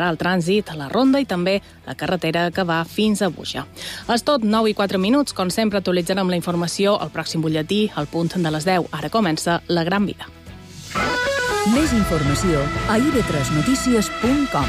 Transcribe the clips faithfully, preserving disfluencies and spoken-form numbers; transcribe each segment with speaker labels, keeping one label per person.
Speaker 1: el trànsit a la Ronda i també la carretera que va fins a Buja. És tot, nou i quatre minuts. Com sempre, actualitzarem la informació al pròxim butlletí, al punt de les deu. Ara comença La Gran Vida.
Speaker 2: Més informació a i ve tres notícies punt com.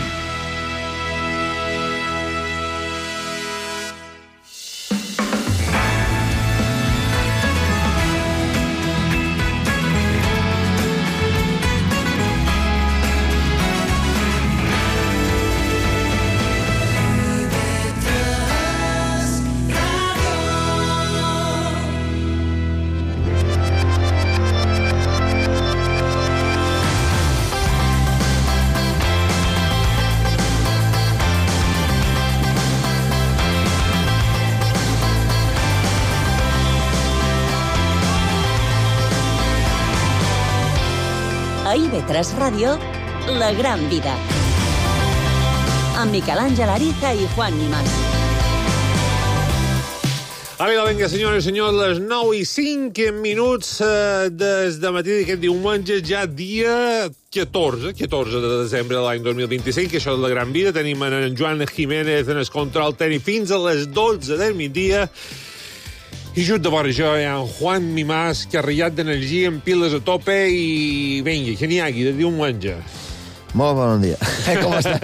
Speaker 3: A i ve tres Ràdio, La Gran Vida. Amb Miquel Àngel Ariza i Juan Nimas.
Speaker 4: Vinga, vinga, senyores i senyors, les nou i cinc minuts eh, des de matí d'aquest diumenge, ja dia catorze, catorze de desembre de l'any dos mil vint-i-cinc, que això és La Gran Vida. Tenim en Joan Jiménez en el control tècnic fins a les dotze del migdia. I just de vora jo hi ha en Juan Mimàs, carregat d'energia, amb piles a tope, i vinga, que n'hi hagi de diumenge.
Speaker 5: Molt bon dia. Com està?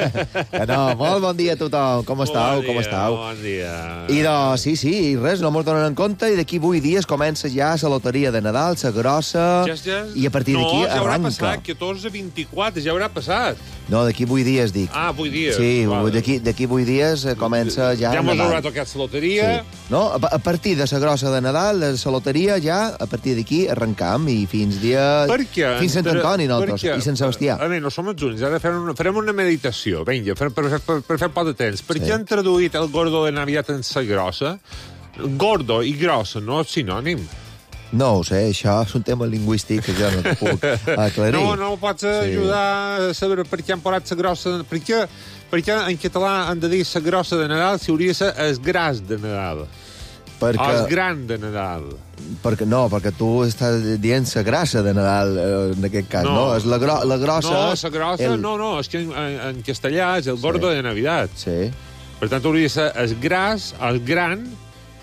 Speaker 5: No, molt bon dia a tothom. Com estàu?
Speaker 4: Bon
Speaker 5: Com
Speaker 4: dia,
Speaker 5: estàu?
Speaker 4: bon dia.
Speaker 5: I doncs, sí, sí, i res, no mos donen en compte, i d'aquí vuit dies comença ja la loteria de Nadal, la grossa,
Speaker 4: Ja, ja...
Speaker 5: i a partir d'aquí
Speaker 4: no, ja haurà
Speaker 5: arranca.
Speaker 4: passat, catorze vint-i-quatre, ja haurà passat.
Speaker 5: No, d'aquí vuit dies, dic.
Speaker 4: Ah, vuit dies.
Speaker 5: Sí,
Speaker 4: Vale.
Speaker 5: d'aquí d'aquí vuit dies eh, comença ja
Speaker 4: Ja mos
Speaker 5: Nadal.
Speaker 4: haurà tocat la loteria.
Speaker 5: Sí. No, a, a partir de la grossa de Nadal, de la loteria, ja, a partir d'aquí arrencam, i fins dia...
Speaker 4: Perquè,
Speaker 5: fins Sant Antoni, nosaltres,
Speaker 4: perquè,
Speaker 5: i Sant Sebastià.
Speaker 4: A veure, no som els únics, ara farem una, farem una meditació, vinga, per, per, per, per fer poc de temps. Per
Speaker 5: Sí.
Speaker 4: què han traduït el gordo de Navidad en sa grossa? Gordo i grossa, no és sinònim.
Speaker 5: No ho sé, això és un tema lingüístic que jo no et puc aclarir.
Speaker 4: No, no pots ajudar a saber per què han posat sa grossa... Per què, per què en català han de dir sa grossa de Nadal si hauria de ser es gras de Nadal?
Speaker 5: perquè,
Speaker 4: O es gran de Nadal?
Speaker 5: perquè, no, perquè tu estàs dient la grassa de Nadal, eh, en aquest cas, no? no? És la, gro la grossa...
Speaker 4: No, sa grossa,
Speaker 5: el...
Speaker 4: no, no, és que en, en, en castellà és el gordo
Speaker 5: Sí.
Speaker 4: de Navidad.
Speaker 5: Sí.
Speaker 4: Per tant, hauria de ser el gras, el gran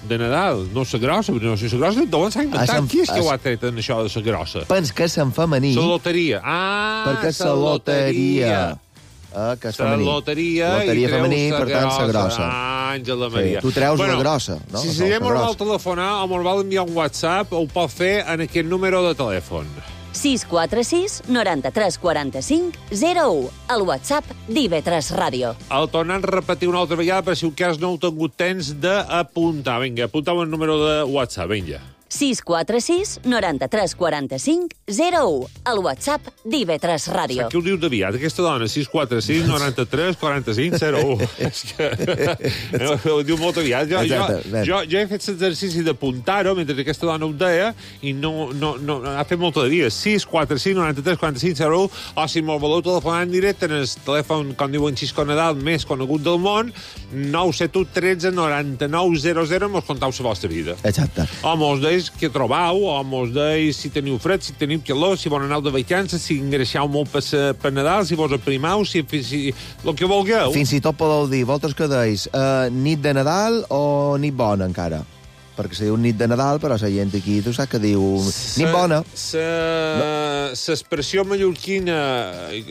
Speaker 4: de Nadal. No la grossa, perquè no sé, la grossa d'on s'ha inventat?
Speaker 5: Ah, Sant-
Speaker 4: Qui és que
Speaker 5: ah,
Speaker 4: ho ha tret en això de la grossa?
Speaker 5: Pens que és en femení,
Speaker 4: La loteria. Ah,
Speaker 5: perquè és la loteria. Eh, que és
Speaker 4: La
Speaker 5: femení.
Speaker 4: loteria,
Speaker 5: Loteria
Speaker 4: i treus
Speaker 5: femení,
Speaker 4: sa
Speaker 5: per tant, la grossa.
Speaker 4: Ah, Àngela
Speaker 5: Sí,
Speaker 4: Maria.
Speaker 5: tu treus la grossa, no?
Speaker 4: Si
Speaker 5: No,
Speaker 4: si
Speaker 5: la
Speaker 4: mos vol
Speaker 5: grossa.
Speaker 4: telefonar o mos vol enviar un WhatsApp, ho pot fer en aquest número de telèfon.
Speaker 3: sis quatre sis, noranta-tres, quaranta-cinc, zero u. El WhatsApp d'I ve tres Ràdio.
Speaker 4: El tornant a repetir una altra vegada per si un cas no heu tingut temps d'apuntar. Vinga, apuntau el número de WhatsApp, vinga.
Speaker 3: sis quatre sis, noranta-tres, quaranta-cinc, zero u. El WhatsApp d'I ve tres Ràdio.
Speaker 4: Què ho diu d'aviat, aquesta dona? sis quatre sis, noranta-tres, quaranta-cinc, zero u. És que ho diu molt aviat. Jo, jo,
Speaker 5: Exacte,
Speaker 4: jo, jo he fet l'exercici d'apuntar-ho mentre aquesta dona ho deia i no, no, no, ha fet molt de dia. sis quatre sis, noranta-tres, quaranta-cinc, zero u. O si me'l voleu telefonar en directe en el telèfon, com diuen Xisco Nadal, més conegut del món, nou set u, tretze, noranta-nou, zero zero, mos contau la vostra vida.
Speaker 5: Exacte.
Speaker 4: O mos deis què trobau, o mos deis si teniu fred, si teniu calor, si vol anar de vacances, si engreixau molt per, per Nadal, si vos aprimau, si, si el que vulgueu.
Speaker 5: Fins i tot podeu dir, vosaltres que deis, uh, nit de Nadal o nit bona encara? Perquè se diu nit de Nadal, però la gent aquí, tu saps que diu nit bona.
Speaker 4: L'expressió mallorquina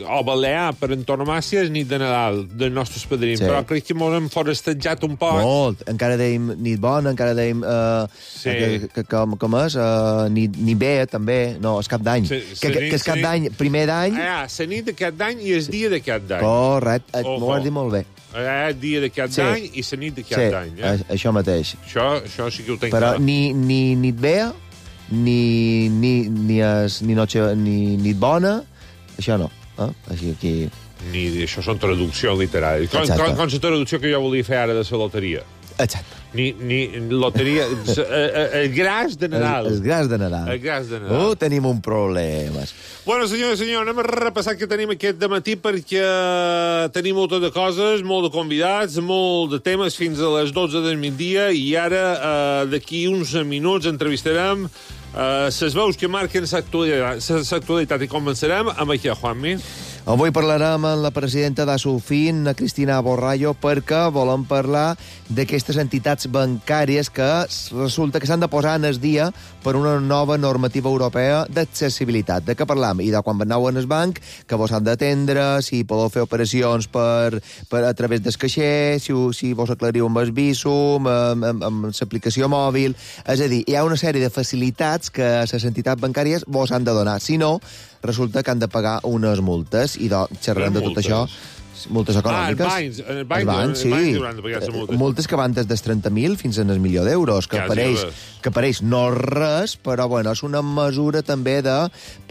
Speaker 4: o balear per antonomàcia és nit de Nadal dels nostres padrins,
Speaker 5: Sí.
Speaker 4: però crec que mos hem forestejat un poc.
Speaker 5: Molt. Encara deim nit bona, encara deim... Uh,
Speaker 4: Sí.
Speaker 5: que, que, com, com és? Uh, nit, nit bé, també. No, és cap d'any.
Speaker 4: Sí,
Speaker 5: que,
Speaker 4: sí,
Speaker 5: que, que és
Speaker 4: sí.
Speaker 5: cap d'any, primer d'any.
Speaker 4: Ah, la nit d'aquest d'any i el dia d'aquest d'any.
Speaker 5: Correcte,
Speaker 4: Ojo.
Speaker 5: m'ho has dit molt bé.
Speaker 4: Eh, dia d'aquest
Speaker 5: Sí.
Speaker 4: d'any i la nit
Speaker 5: Sí,
Speaker 4: d'aquest d'any. Eh?
Speaker 5: a- això mateix.
Speaker 4: Això, això sí que ho tenc
Speaker 5: Però
Speaker 4: clar.
Speaker 5: ni, ni nit bé, ni, ni, ni, es, ni, noche, ni nit bona, això no. Eh? Així aquí...
Speaker 4: Ni això són traduccions literàries. Com,
Speaker 5: Exacte.
Speaker 4: com, com la traducció que jo volia fer ara de la loteria.
Speaker 5: Exacte.
Speaker 4: Ni, ni loteria... s- eh, eh, el gras de Nadal.
Speaker 5: El, el gras de Nadal.
Speaker 4: El gras de Nadal.
Speaker 5: Oh, tenim un problema.
Speaker 4: Bueno, senyors i senyors, anem a repassar què tenim aquest dematí perquè tenim moltes de coses, molt de convidats, molt de temes fins a les dotze del migdia i ara, eh, d'aquí uns minuts, entrevistarem eh, les veus que marquen l'actualitat i començarem amb això, Juanmi.
Speaker 5: Avui parlarem amb la presidenta d'Asulfin, Cristina Borrallo, perquè volem parlar d'aquestes entitats bancàries que resulta que s'han de posar en el dia per una nova normativa europea d'accessibilitat. De què parlam? I de quan aneu en el banc, que vos han d'atendre, si podeu fer operacions per, per a través del caixer, si, si vos aclariu amb el Visum, amb, amb, amb l'aplicació mòbil... És a dir, hi ha una sèrie de facilitats que les entitats bancàries vos han de donar. Si no, resulta que han de pagar unes multes, i de, xerrant de tot això, multes econòmiques.
Speaker 4: Ah, els bancs, el banc,
Speaker 5: bancs, sí.
Speaker 4: el banc de pagar les multes.
Speaker 5: Multes que van des dels trenta mil fins al milió d'euros, que apareix, que apareix no res, però bueno, és una mesura també de,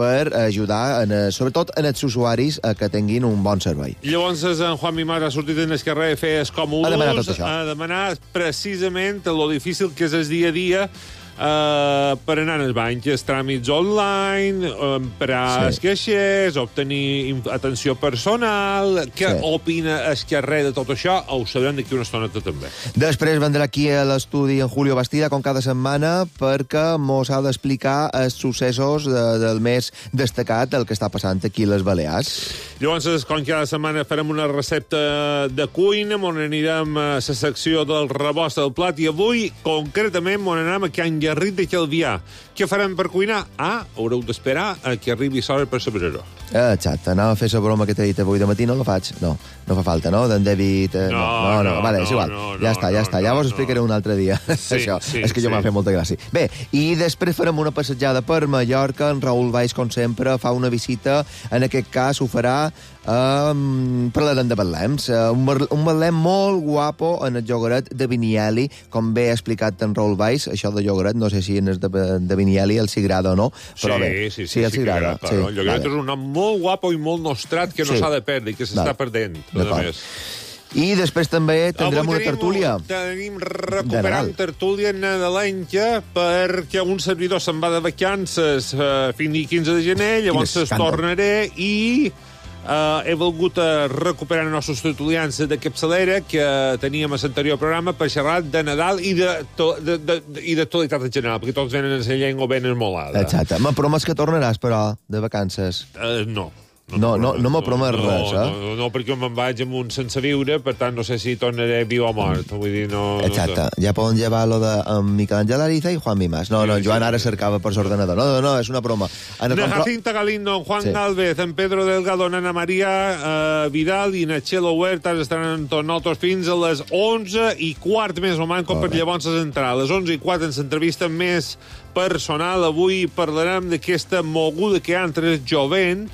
Speaker 5: per ajudar, en, sobretot en els usuaris, a que tinguin un bon servei.
Speaker 4: Llavors, en Juan Mimar ha sortit en el carrer a fer els còmodes,
Speaker 5: a demanar tot això.
Speaker 4: A demanar precisament lo difícil que és el dia a dia Uh, per anar als bancs, els tràmits online, emprar sí. els caixers, obtenir atenció personal... Què sí. opina el carrer de tot això? Ho sabrem d'aquí una estoneta també.
Speaker 5: Després vendrà aquí a l'estudi en Julio Bastida, com cada setmana, perquè mos ha d'explicar els successos de, del més destacat, el que està passant aquí a les Balears.
Speaker 4: Llavors, com cada setmana, farem una recepta de cuina, on anirem a la secció del rebost del plat, i avui, concretament, on anem a Can Garrit de Calvià. Què farem per cuinar? Ah, haureu d'esperar a que arribi l'hora per saber-ho.
Speaker 5: Exacte, anava a fer la broma que t'he dit avui de matí, no la faig? No, no fa falta, no? D'en David... Eh, no, no, no, no, vale, és igual. No, no, ja està, ja no, està, ja vos no, explicaré un altre dia.
Speaker 4: Sí,
Speaker 5: això,
Speaker 4: sí,
Speaker 5: és que jo sí. m'ha fet molta gràcia. Bé, i després farem una passejada per Mallorca. En Raül Valls, com sempre, fa una visita. En aquest cas ho farà Um, parlarem de Betlems. Uh, un, un Betlem molt guapo en el llogaret de Vinieli, com bé ha explicat en Raül Valls. Això de llogaret, no sé si en el de, de Vinieli els agrada o no, però
Speaker 4: sí,
Speaker 5: bé,
Speaker 4: sí, sí,
Speaker 5: sí, els
Speaker 4: sí,
Speaker 5: agrada.
Speaker 4: Sí, el llogaret vale. És un nom molt guapo i molt nostrat que no s'ha sí. de perdre i que s'està vale. perdent.
Speaker 5: I després també tindrem
Speaker 4: Avui
Speaker 5: una
Speaker 4: tenim,
Speaker 5: tertúlia.
Speaker 4: Tenim recuperant tertúlia nadalenca perquè un servidor se'n va de vacances uh, fins al quinze de gener, llavors es tornaré i... Uh, he volgut uh, recuperar els nostres tertulians de capçalera que teníem a l'anterior programa per xerrar de Nadal i de, to, de, de, de, i d'actualitat en general, perquè tots venen en la llengua ben esmolada.
Speaker 5: Exacte. M'ha promès que tornaràs, però, de vacances.
Speaker 4: Uh, no.
Speaker 5: No, no, no m'ha promès
Speaker 4: no,
Speaker 5: res, eh?
Speaker 4: No, no, no, perquè me'n vaig amb un sense viure, per tant no sé si tornaré viu o mort. Vull dir, no...
Speaker 5: Exacte,
Speaker 4: no sé.
Speaker 5: Ja poden llevar lo de Miquel Àngel Ariza i Juan Mimas. No, no, Joan ara cercava per l'ordenador. No, no, no, és una broma.
Speaker 4: Na Jacinta Galindo, Juan sí. Galvez, en Pedro Delgado, Ana Maria uh, Vidal i Nachelo Huertas estaran amb tots nosaltres fins a les onze i quart més o manco, per llavors entrar. A les onze i quart en l'entrevista més personal. Avui parlarem d'aquesta moguda que hi ha entre el jovent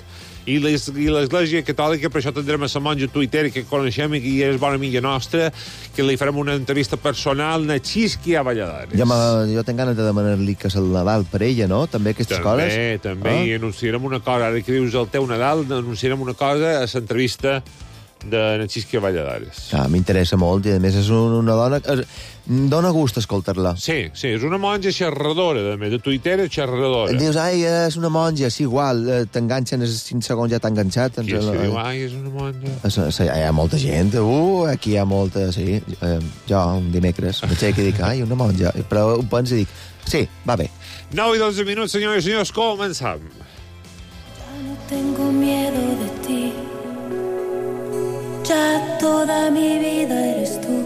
Speaker 4: i l'Església Catòlica, per això tindrem a la monja Twitter que coneixem i que és bona amiga nostra, que li farem una entrevista personal a Xisqui a Valladares.
Speaker 5: Ja jo tinc ganes de demanar-li que és el Nadal per ella, no? També aquestes
Speaker 4: també,
Speaker 5: coses?
Speaker 4: També, també, ah? I anunciarem una cosa, ara que dius el teu Nadal, anunciarem una cosa a l'entrevista de Xisqui a Valladares.
Speaker 5: Ah, m'interessa molt, i a més és una dona... Dóna gust escoltar-la.
Speaker 4: Sí, sí, és una monja xerradora, a més, de Twitter és xerradora.
Speaker 5: Dius, ai, és una monja, sí, igual, t'enganxen, els cinc segons ja t'ha enganxat.
Speaker 4: Qui és que diu, ai, és una monja?
Speaker 5: Hi ha molta gent, uh, aquí hi ha molta, sí. Jo, un dimecres, m'aixeco i dic, ai, una monja, però ho penso i dic, sí, va bé.
Speaker 4: nou i dotze minuts, senyors i senyors, començam.
Speaker 6: Ya no tengo miedo de ti, ya toda mi vida eres tú.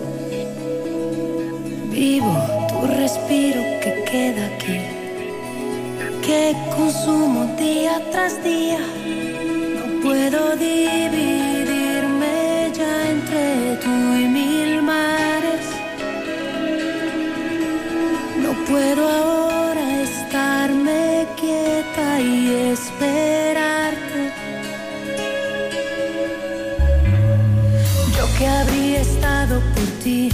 Speaker 6: Vivo tu respiro que queda aquí, que consumo día tras día. No puedo dividirme ya entre tú y mil mares. No puedo ahora estarme quieta y esperarte. Yo que habría estado por ti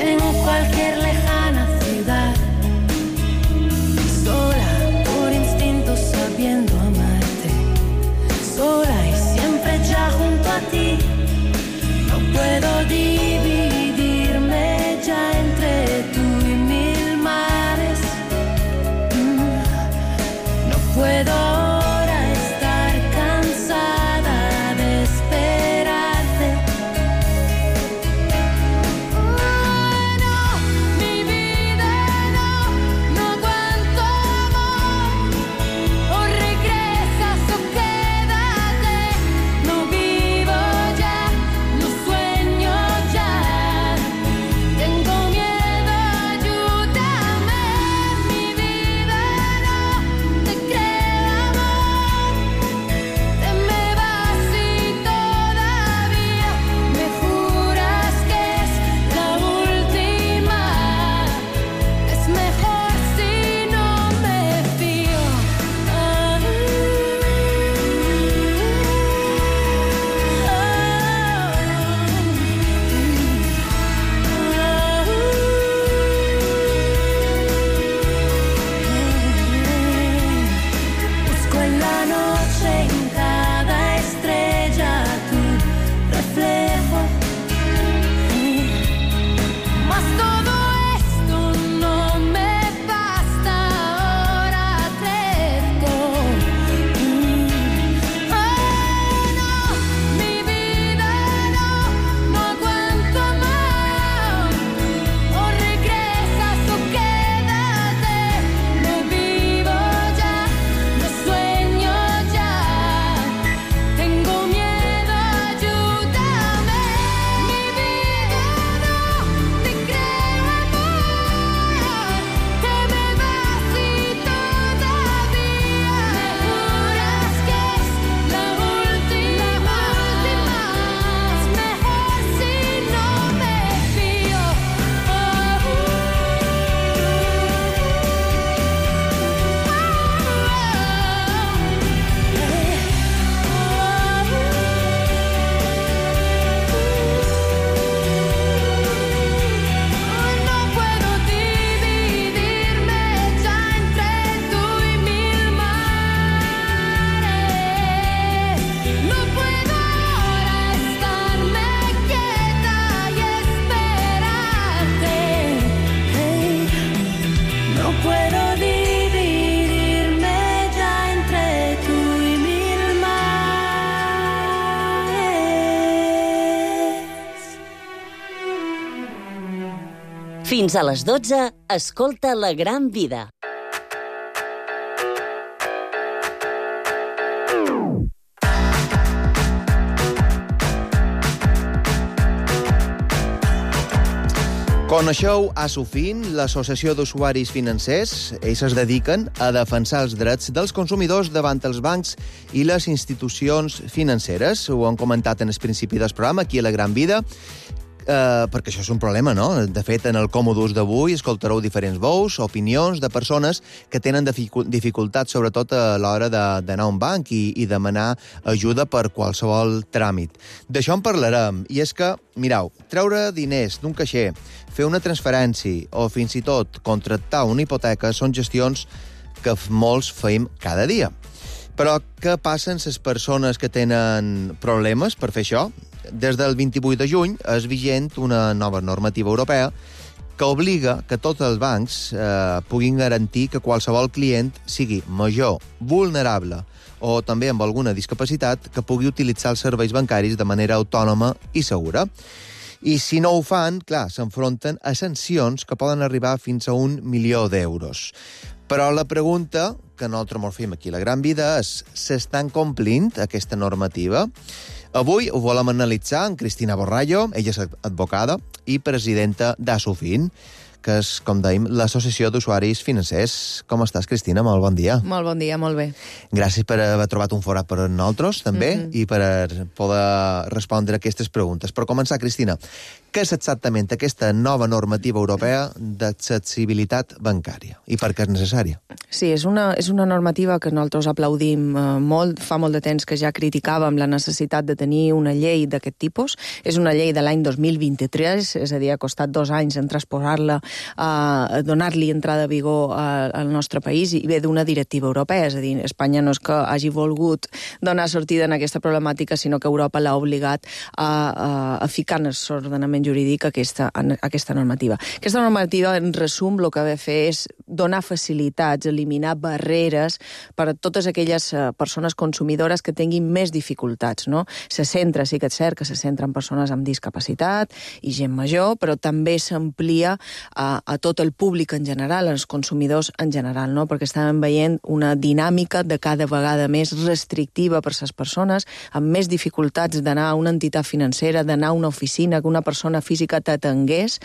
Speaker 6: en cualquier lejana ciudad, sola por instinto sabiendo amarte, sola y siempre ya junto a ti. No puedo dividirme ya entre tú y mil mares. No puedo ahora estar cansada de esperarte. Oh, no, mi vida.
Speaker 3: Fins a les dotze, escolta La Gran Vida.
Speaker 5: Coneixeu Asufin, l'Associació d'Usuaris Financers? Ells es dediquen a defensar els drets dels consumidors davant els bancs i les institucions financeres. Ho han comentat en el principi del programa, aquí a La Gran Vida, eh, perquè això és un problema, no? De fet, en el Còmodus d'avui escoltareu diferents veus, opinions de persones que tenen dificultats, sobretot a l'hora d'anar a un banc i, i demanar ajuda per qualsevol tràmit. D'això en parlarem, i és que, mireu, treure diners d'un caixer, fer una transferència o fins i tot contractar una hipoteca són gestions que molts feim cada dia. Però què passa amb les persones que tenen problemes per fer això? Des del vint-i-vuit de juny és vigent una nova normativa europea que obliga que tots els bancs eh, puguin garantir que qualsevol client sigui major, vulnerable o també amb alguna discapacitat que pugui utilitzar els serveis bancaris de manera autònoma i segura. I si no ho fan, clar, s'enfronten a sancions que poden arribar fins a un milió d'euros. Però la pregunta que nosaltres ens fem aquí a La Gran Vida és: s'estan complint aquesta normativa? Avui ho volem analitzar amb Cristina Borrallo, ella és advocada i presidenta d'Asufin, que és, com dèiem, l'Associació d'Usuaris Financers. Com estàs, Cristina? Molt bon dia.
Speaker 7: Molt bon dia, molt bé.
Speaker 5: Gràcies per haver trobat un forat per nosaltres, també, mm-hmm. i per poder respondre a aquestes preguntes. Per començar, Cristina, què és exactament aquesta nova normativa europea d'accessibilitat bancària i per què és necessària?
Speaker 7: Sí, és una, és una normativa que nosaltres aplaudim eh, molt. Fa molt de temps que ja criticàvem la necessitat de tenir una llei d'aquest tipus. És una llei de l'any dos mil vint-i-tres, és a dir, ha costat dos anys en transposar-la, eh, donar-li entrada a vigor eh, al nostre país, i ve d'una directiva europea. És a dir, Espanya no és que hagi volgut donar sortida en aquesta problemàtica, sinó que Europa l'ha obligat a, a, a ficar en l'ordenament jurídic aquesta, aquesta normativa. Aquesta normativa, en resum, el que ve a fer és donar facilitats, eliminar barreres per a totes aquelles persones consumidores que tinguin més dificultats, no? Se centra, sí que és cert que se centra en persones amb discapacitat i gent major, però també s'amplia a, a tot el públic en general, als consumidors en general, no? Perquè estàvem veient una dinàmica de cada vegada més restrictiva per a les persones amb més dificultats d'anar a una entitat financera, d'anar a una oficina, que una persona física t'atengués.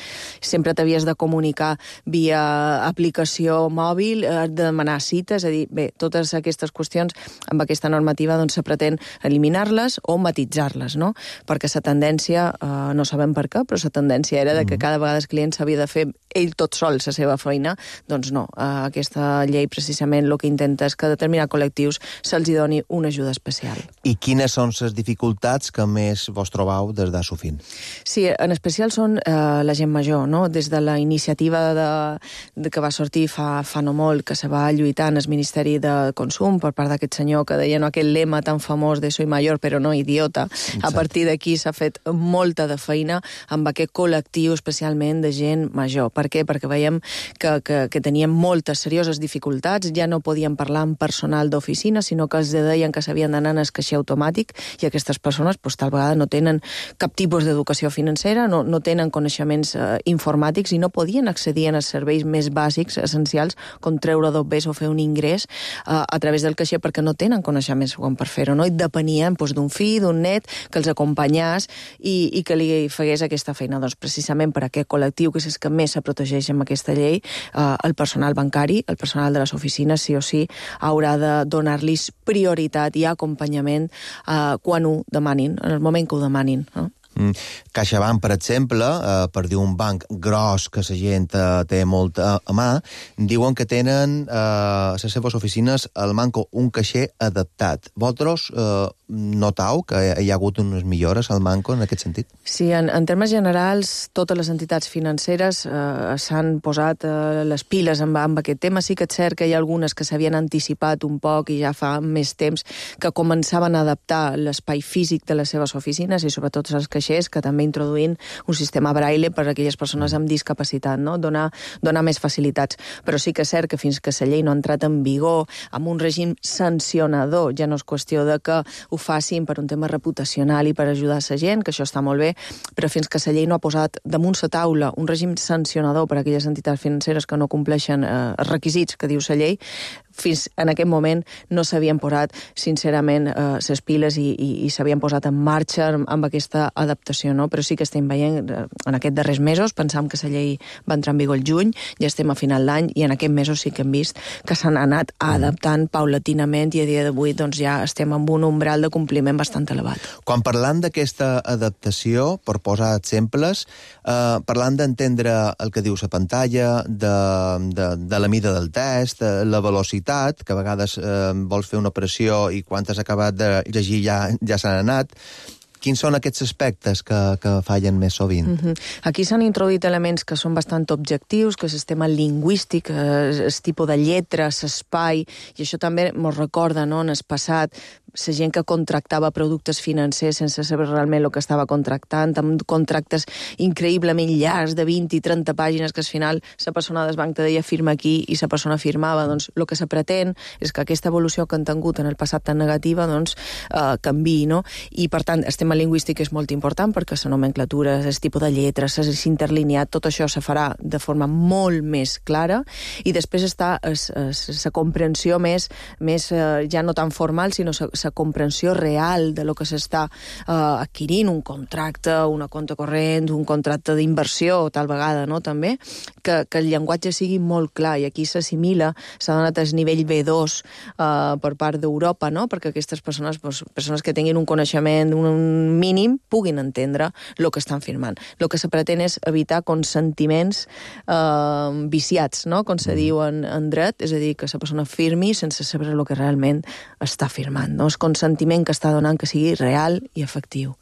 Speaker 7: Sempre t'havies de comunicar via aplicació mòbil, de demanar cites, és a dir, bé, totes aquestes qüestions amb aquesta normativa doncs se pretén eliminar-les o matitzar-les, no? Perquè la tendència, eh, no sabem per què, però la tendència era de que cada vegada el client s'havia de fer ell tot sol la seva feina. Doncs no, eh, aquesta llei precisament el que intenta és que a determinats col·lectius se'ls doni una ajuda especial.
Speaker 5: I quines són les dificultats que més vos trobeu des d'Asufin?
Speaker 7: Sí, en especial són eh, la gent major, no? Des de la iniciativa de, de que va sortir fa, fa no molt, que se va lluitar en el Ministeri de Consum per part d'aquest senyor que deia no, aquell lema tan famós de soy mayor però no idiota. Exacte. A partir d'aquí s'ha fet molta de feina amb aquest col·lectiu, especialment de gent major. Per què? Perquè veiem que, que, que teníem moltes serioses dificultats, ja no podien parlar amb personal d'oficina, sinó que els deien que s'havien d'anar en el caixer automàtic, i aquestes persones pues, tal vegada no tenen cap tipus d'educació financera, no, no tenen coneixements eh, informàtics i no podien accedir als serveis més bàsics, essencials, com treure dobbers o fer un ingrés eh, a través del caixer, perquè no tenen coneixements com per fer-ho, no? I depenien doncs, d'un fill, d'un net, que els acompanyés i, i que li fegués aquesta feina. Doncs precisament per aquest col·lectiu, que és el que més se protegeix amb aquesta llei, eh, el personal bancari, el personal de les oficines, sí o sí, haurà de donar-los prioritat i acompanyament eh, quan ho demanin, en el moment que ho demanin, no?
Speaker 5: Mm. CaixaBank, per exemple, eh, per dir un banc gros que la gent eh, té molt a, a mà, diuen que tenen eh, a les seves oficines al manco un caixer adaptat. Vosaltres eh, notau que hi ha hagut unes millores al manco en aquest sentit?
Speaker 7: Sí, en, en termes generals, totes les entitats financeres eh, s'han posat eh, les piles amb, amb aquest tema. Sí que és cert que hi ha algunes que s'havien anticipat un poc i ja fa més temps que començaven a adaptar l'espai físic de les seves oficines i sobretot els caixers mateix, que també introduint un sistema braille per a aquelles persones amb discapacitat, no? Donar, donar més facilitats. Però sí que és cert que fins que la llei no ha entrat en vigor amb un règim sancionador, ja no és qüestió de que ho facin per un tema reputacional i per ajudar la gent, que això està molt bé, però fins que la llei no ha posat damunt la taula un règim sancionador per a aquelles entitats financeres que no compleixen eh, els requisits que diu la llei, fins en aquest moment no s'havien posat, sincerament, eh, les piles i, i, i s'havien posat en marxa amb, amb aquesta adaptació, no? Però sí que estem veient, eh, en aquests darrers mesos, pensam que la llei va entrar en vigor el juny, ja estem a final d'any, i en aquests mesos sí que hem vist que s'han anat adaptant paulatinament i a dia d'avui doncs, ja estem amb un umbral de compliment bastant elevat.
Speaker 5: Quan parlant d'aquesta adaptació, per posar exemples, eh, parlant d'entendre el que diu la pantalla, de, de, de la mida del test, la velocitat, que a vegades eh, vols fer una operació i quan has acabat de llegir ja, ja s'han anat. Quins són aquests aspectes que, que fallen més sovint?
Speaker 7: Mm-hmm. Aquí s'han introduït elements que són bastant objectius, que és el tema lingüístic, el tipus de lletra, l'espai, i això també ens recorda, no?, en el passat, la gent que contractava productes financers sense saber realment el que estava contractant, amb contractes increïblement llargs de vint i trenta pàgines que al final la persona del banc te deia firma aquí i la persona firmava. Doncs el que se pretén és que aquesta evolució que han tingut en el passat tan negativa doncs eh, canviï, no? I per tant, el tema lingüístic és molt important perquè la nomenclatura, el tipus de lletres, l'interlineat, tot això se farà de forma molt més clara, i després està la comprensió més, més eh, ja no tan formal, sinó la comprensió real de lo que s'està eh, adquirint, un contracte, una compte corrent, un contracte d'inversió, tal vegada, no?, també, que, que el llenguatge sigui molt clar, i aquí s'assimila, s'ha donat el nivell B dos eh, per part d'Europa, no?, perquè aquestes persones, doncs, persones que tinguin un coneixement un mínim, puguin entendre el que estan firmant. El que se pretén és evitar consentiments eh, viciats, no?, com se mm. diu en, en dret, és a dir, que la persona firmi sense saber el que realment està firmant, no? El consentiment que està donant que sigui real i efectiu.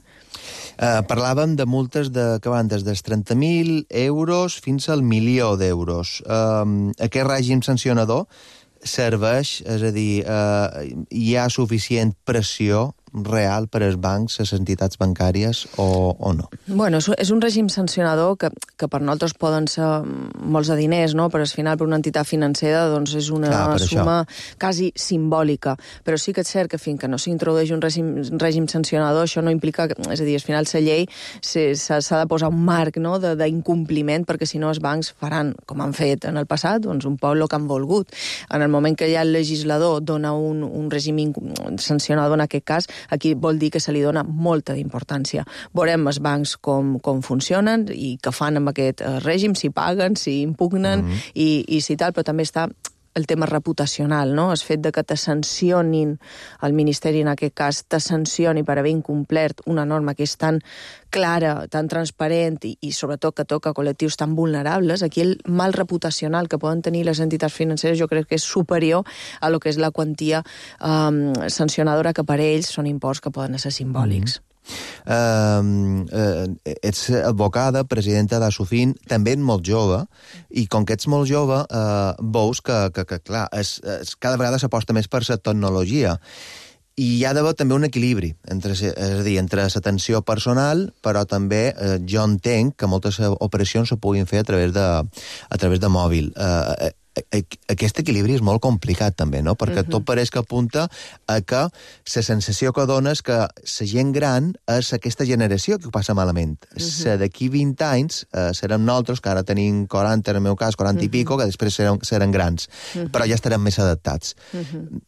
Speaker 5: Uh, parlàvem de multes de, que van des dels trenta mil euros fins al milió d'euros. Uh, aquest règim sancionador serveix, és a dir, uh, hi ha suficient pressió real per als bancs, les entitats bancàries, o, o no?
Speaker 7: Bueno, és un règim sancionador que, que per nosaltres poden ser molts de diners, no? Però al final per una entitat financera doncs és una Clar, suma això. quasi simbòlica. Però sí que és cert que fins que no s'introdueix un règim, règim sancionador, això no implica, que, és a dir, al final la llei s'ha de posar un marc, no?, d'incompliment, perquè si no els bancs faran, com han fet en el passat, doncs un poc el que han volgut. En el moment que ja el legislador dona un, un règim sancionador, en aquest cas, aquí vol dir que se li dona molta d'importància. Veurem els bancs com, com funcionen i què fan amb aquest règim, si paguen, si impugnen, mm-hmm. i, i si tal, però també està el tema reputacional, no? El fet de que te sancionin, el Ministeri en aquest cas, te sancioni per haver incomplert una norma que és tan clara, tan transparent i, i sobretot que toca col·lectius tan vulnerables, aquí el mal reputacional que poden tenir les entitats financeres jo crec que és superior a lo que és la quantia um, sancionadora, que per ells són imports que poden ser simbòlics. Mm-hmm.
Speaker 5: Uh, uh, ets advocada, presidenta d'Asufin, també ets molt jove, i com que ets molt jove, uh, veus que, que, que clar, es, es, cada vegada s'aposta més per la tecnologia. I hi ha d'haver també un equilibri, entre, és a dir, entre l'atenció personal, però també eh, jo entenc que moltes operacions se puguin fer a través de, a través de mòbil. Eh, aquest equilibri és molt complicat també, no? Perquè uh-huh. tot pareix que apunta a que la sensació que dona és que la gent gran és aquesta generació que ho passa malament. Uh-huh. D'aquí vint anys eh, serem nosaltres, que ara tenim quaranta, en el meu cas, quaranta uh-huh. i pico, que després serem, serem grans, uh-huh. però ja estarem més adaptats. Uh-huh.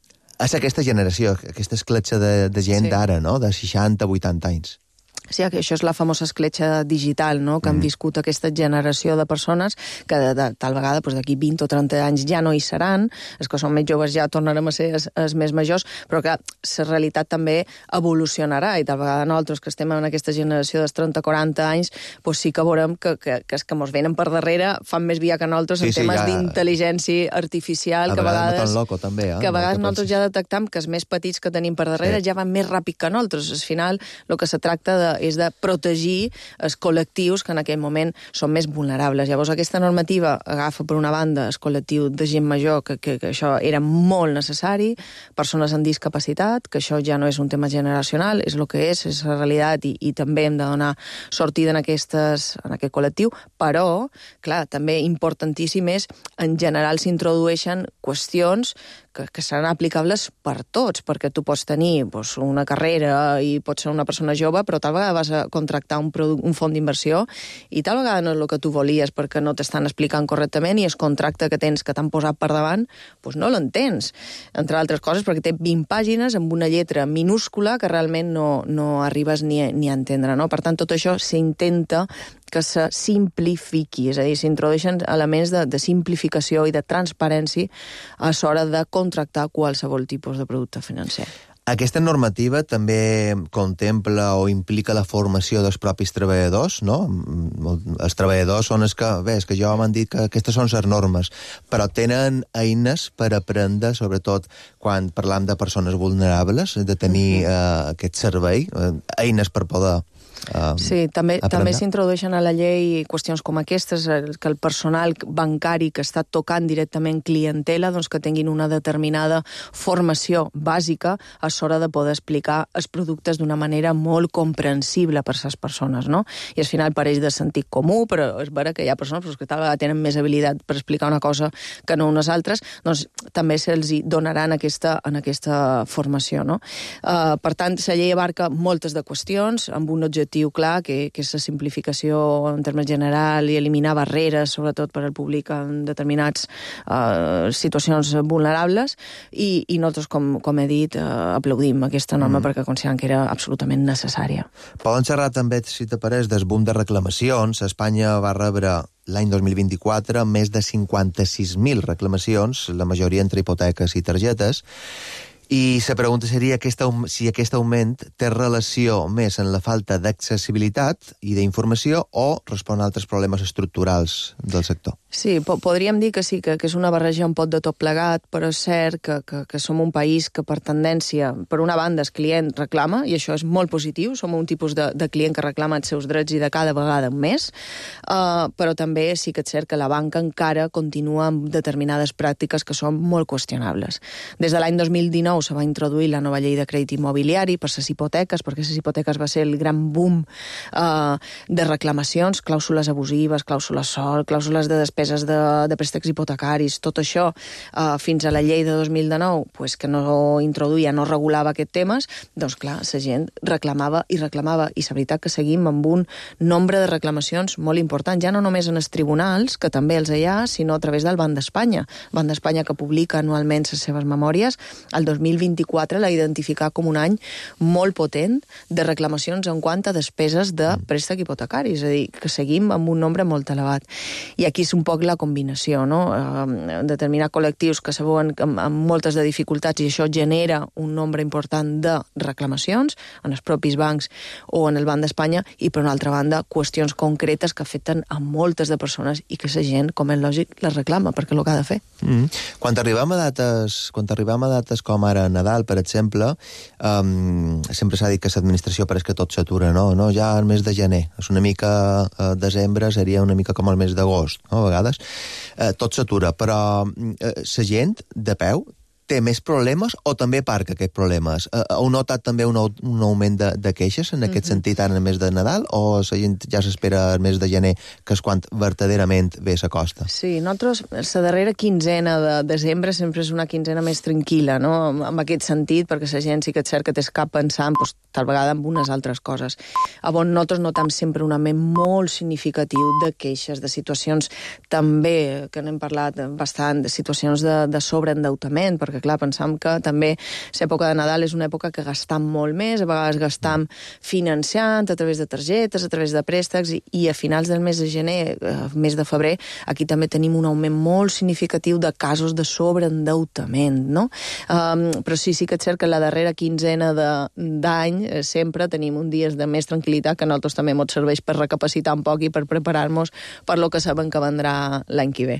Speaker 5: És aquesta generació, aquesta escletxa de, de gent sí. d'ara, no?, de seixanta, vuitanta anys.
Speaker 7: Sí, que això és la famosa escletxa digital, no?, que mm. han viscut aquesta generació de persones que de, de, tal vegada doncs, d'aquí vint o trenta anys ja no hi seran, els que són més joves ja tornarem a ser els, els més majors, però que la realitat també evolucionarà, i tal vegada nosaltres que estem en aquesta generació dels trenta a quaranta anys, doncs sí que veurem que, que, que els que ens venen per darrere fan més via que nosaltres sí, en sí, temes ja... d'intel·ligència artificial, a que a vegades, no loco, també, eh? que a vegades nosaltres ja detectam que els més petits que tenim per darrere sí. ja van més ràpid que nosaltres. Al final, el que se tracta de és de protegir els col·lectius que en aquell moment són més vulnerables. Llavors, aquesta normativa agafa, per una banda, el col·lectiu de gent major, que, que, que això era molt necessari, persones amb discapacitat, que això ja no és un tema generacional, és el que és, és la realitat, i, i també hem de donar sortida en, aquestes, en aquest col·lectiu, però, clar, també importantíssim és, en general s'introdueixen qüestions que, que seran aplicables per tots, perquè tu pots tenir doncs, una carrera i pots ser una persona jove, però tal vegada vas a contractar un, un fons d'inversió i tal vegada no és el que tu volies perquè no t'estan explicant correctament i el contracte que tens que t'han posat per davant doncs no l'entens, entre altres coses perquè té vint pàgines amb una lletra minúscula que realment no, no arribes ni a, ni a entendre, no? Per tant, tot això s'intenta que se simplifiqui, és a dir, s'introdueixen elements de, de simplificació i de transparència a l'hora de contractar qualsevol tipus de producte financer.
Speaker 5: Aquesta normativa també contempla o implica la formació dels propis treballadors, no? Els treballadors són els que, bé, és que jo m'han dit que aquestes són les normes, però tenen eines per aprendre, sobretot quan parlam de persones vulnerables, de tenir uh, aquest servei, uh, eines per poder Um,
Speaker 7: sí, també, també s'introdueixen a la llei qüestions com aquestes, que el personal bancari que està tocant directament clientela, doncs que tinguin una determinada formació bàsica a l'hora de poder explicar els productes d'una manera molt comprensible per a les persones, no? I al final pareix de sentit comú, però és vera que hi ha persones que tal vegada tenen més habilitat per explicar una cosa que no unes altres, doncs també se'ls donarà en aquesta, en aquesta formació, no? Uh, per tant, la llei abarca moltes de qüestions amb un objectiu clar, que, que és la simplificació en termes general i eliminar barreres, sobretot per al públic en determinats uh, situacions vulnerables, i, i nosaltres, com, com he dit, uh, aplaudim aquesta norma mm. perquè considerem que era absolutament necessària.
Speaker 5: Poden xerrar també, si t'apareix, del boom de reclamacions. Espanya va rebre l'any dos mil vint-i-quatre més de cinquanta-sis mil reclamacions, la majoria entre hipoteques i targetes. I la pregunta seria aquesta, si aquest augment té relació més en la falta d'accessibilitat i d'informació o respon a altres problemes estructurals del sector.
Speaker 7: Sí, po podríem dir que sí, que, que és una barreja un pot de tot plegat, però és cert que, que, que som un país que per tendència, per una banda, el client reclama, i això és molt positiu, som un tipus de, de client que reclama els seus drets i de cada vegada més, uh, però també sí que és cert que la banca encara continua amb determinades pràctiques que són molt qüestionables. Des de l'any dos mil dinou se va introduir la nova llei de crèdit immobiliari per les hipoteques, perquè les hipoteques va ser el gran boom uh, de reclamacions, clàusules abusives, clàusules sol, clàusules de despeses de, de préstecs hipotecaris, tot això uh, fins a la llei de dos mil dinou, pues, que no introduïa, no regulava aquests temes, doncs clar, la gent reclamava i reclamava, i la veritat que seguim amb un nombre de reclamacions molt important, ja no només en els tribunals, que també els hi ha, sinó a través del Banc d'Espanya. El Banc d'Espanya, que publica anualment les seves memòries, el dos mil vint-i-quatre l'ha identificat com un any molt potent de reclamacions en quant a despeses de préstec hipotecari, és a dir, que seguim amb un nombre molt elevat. I aquí és un poc la combinació, no? Eh, determinar col·lectius que se veuen amb, amb moltes de dificultats i això genera un nombre important de reclamacions en els propis bancs o en el Banc d'Espanya, i per una altra banda qüestions concretes que afecten a moltes de persones i que la gent, com és lògic, les reclama perquè és el que ha de fer.
Speaker 5: Mm. Quan arribem a dates, quan arribem a dates com ara Nadal, per exemple, um, sempre s'ha dit que l'administració pareix que tot s'atura, no? no? Ja el mes de gener, és una mica uh, desembre, seria una mica com el mes d'agost, no? A vegades eh, tot s'atura, però eh, la gent de peu té més problemes o també aparca aquests problemes? Eh, heu notat també un, un augment de, de queixes en aquest mm-hmm. sentit ara en el mes de Nadal, o la gent ja s'espera el mes de gener, que és quan verdaderament ve la costa?
Speaker 7: Sí, nosaltres, la darrera quinzena de desembre sempre és una quinzena més tranquil·la, no? En aquest sentit, perquè la gent sí que és cert que té cap pensant, doncs, tal vegada en unes altres coses. Llavors, nosaltres notam sempre un augment molt significatiu de queixes, de situacions també, que n'hem parlat bastant, de situacions de, de sobreendeutament, perquè clar, pensam que també l'època de Nadal és una època que gastam molt més, a vegades gastam financiant a través de targetes, a través de préstecs, i, i a finals del mes de gener, eh, mes de febrer, aquí també tenim un augment molt significatiu de casos de sobreendeutament, no? Um, però sí, sí que és cert que la darrera quinzena d'any eh, sempre tenim un dies de més tranquil·litat, que a nosaltres també ens serveix per recapacitar un poc i per preparar-nos per lo que sabem que vendrà l'any que ve.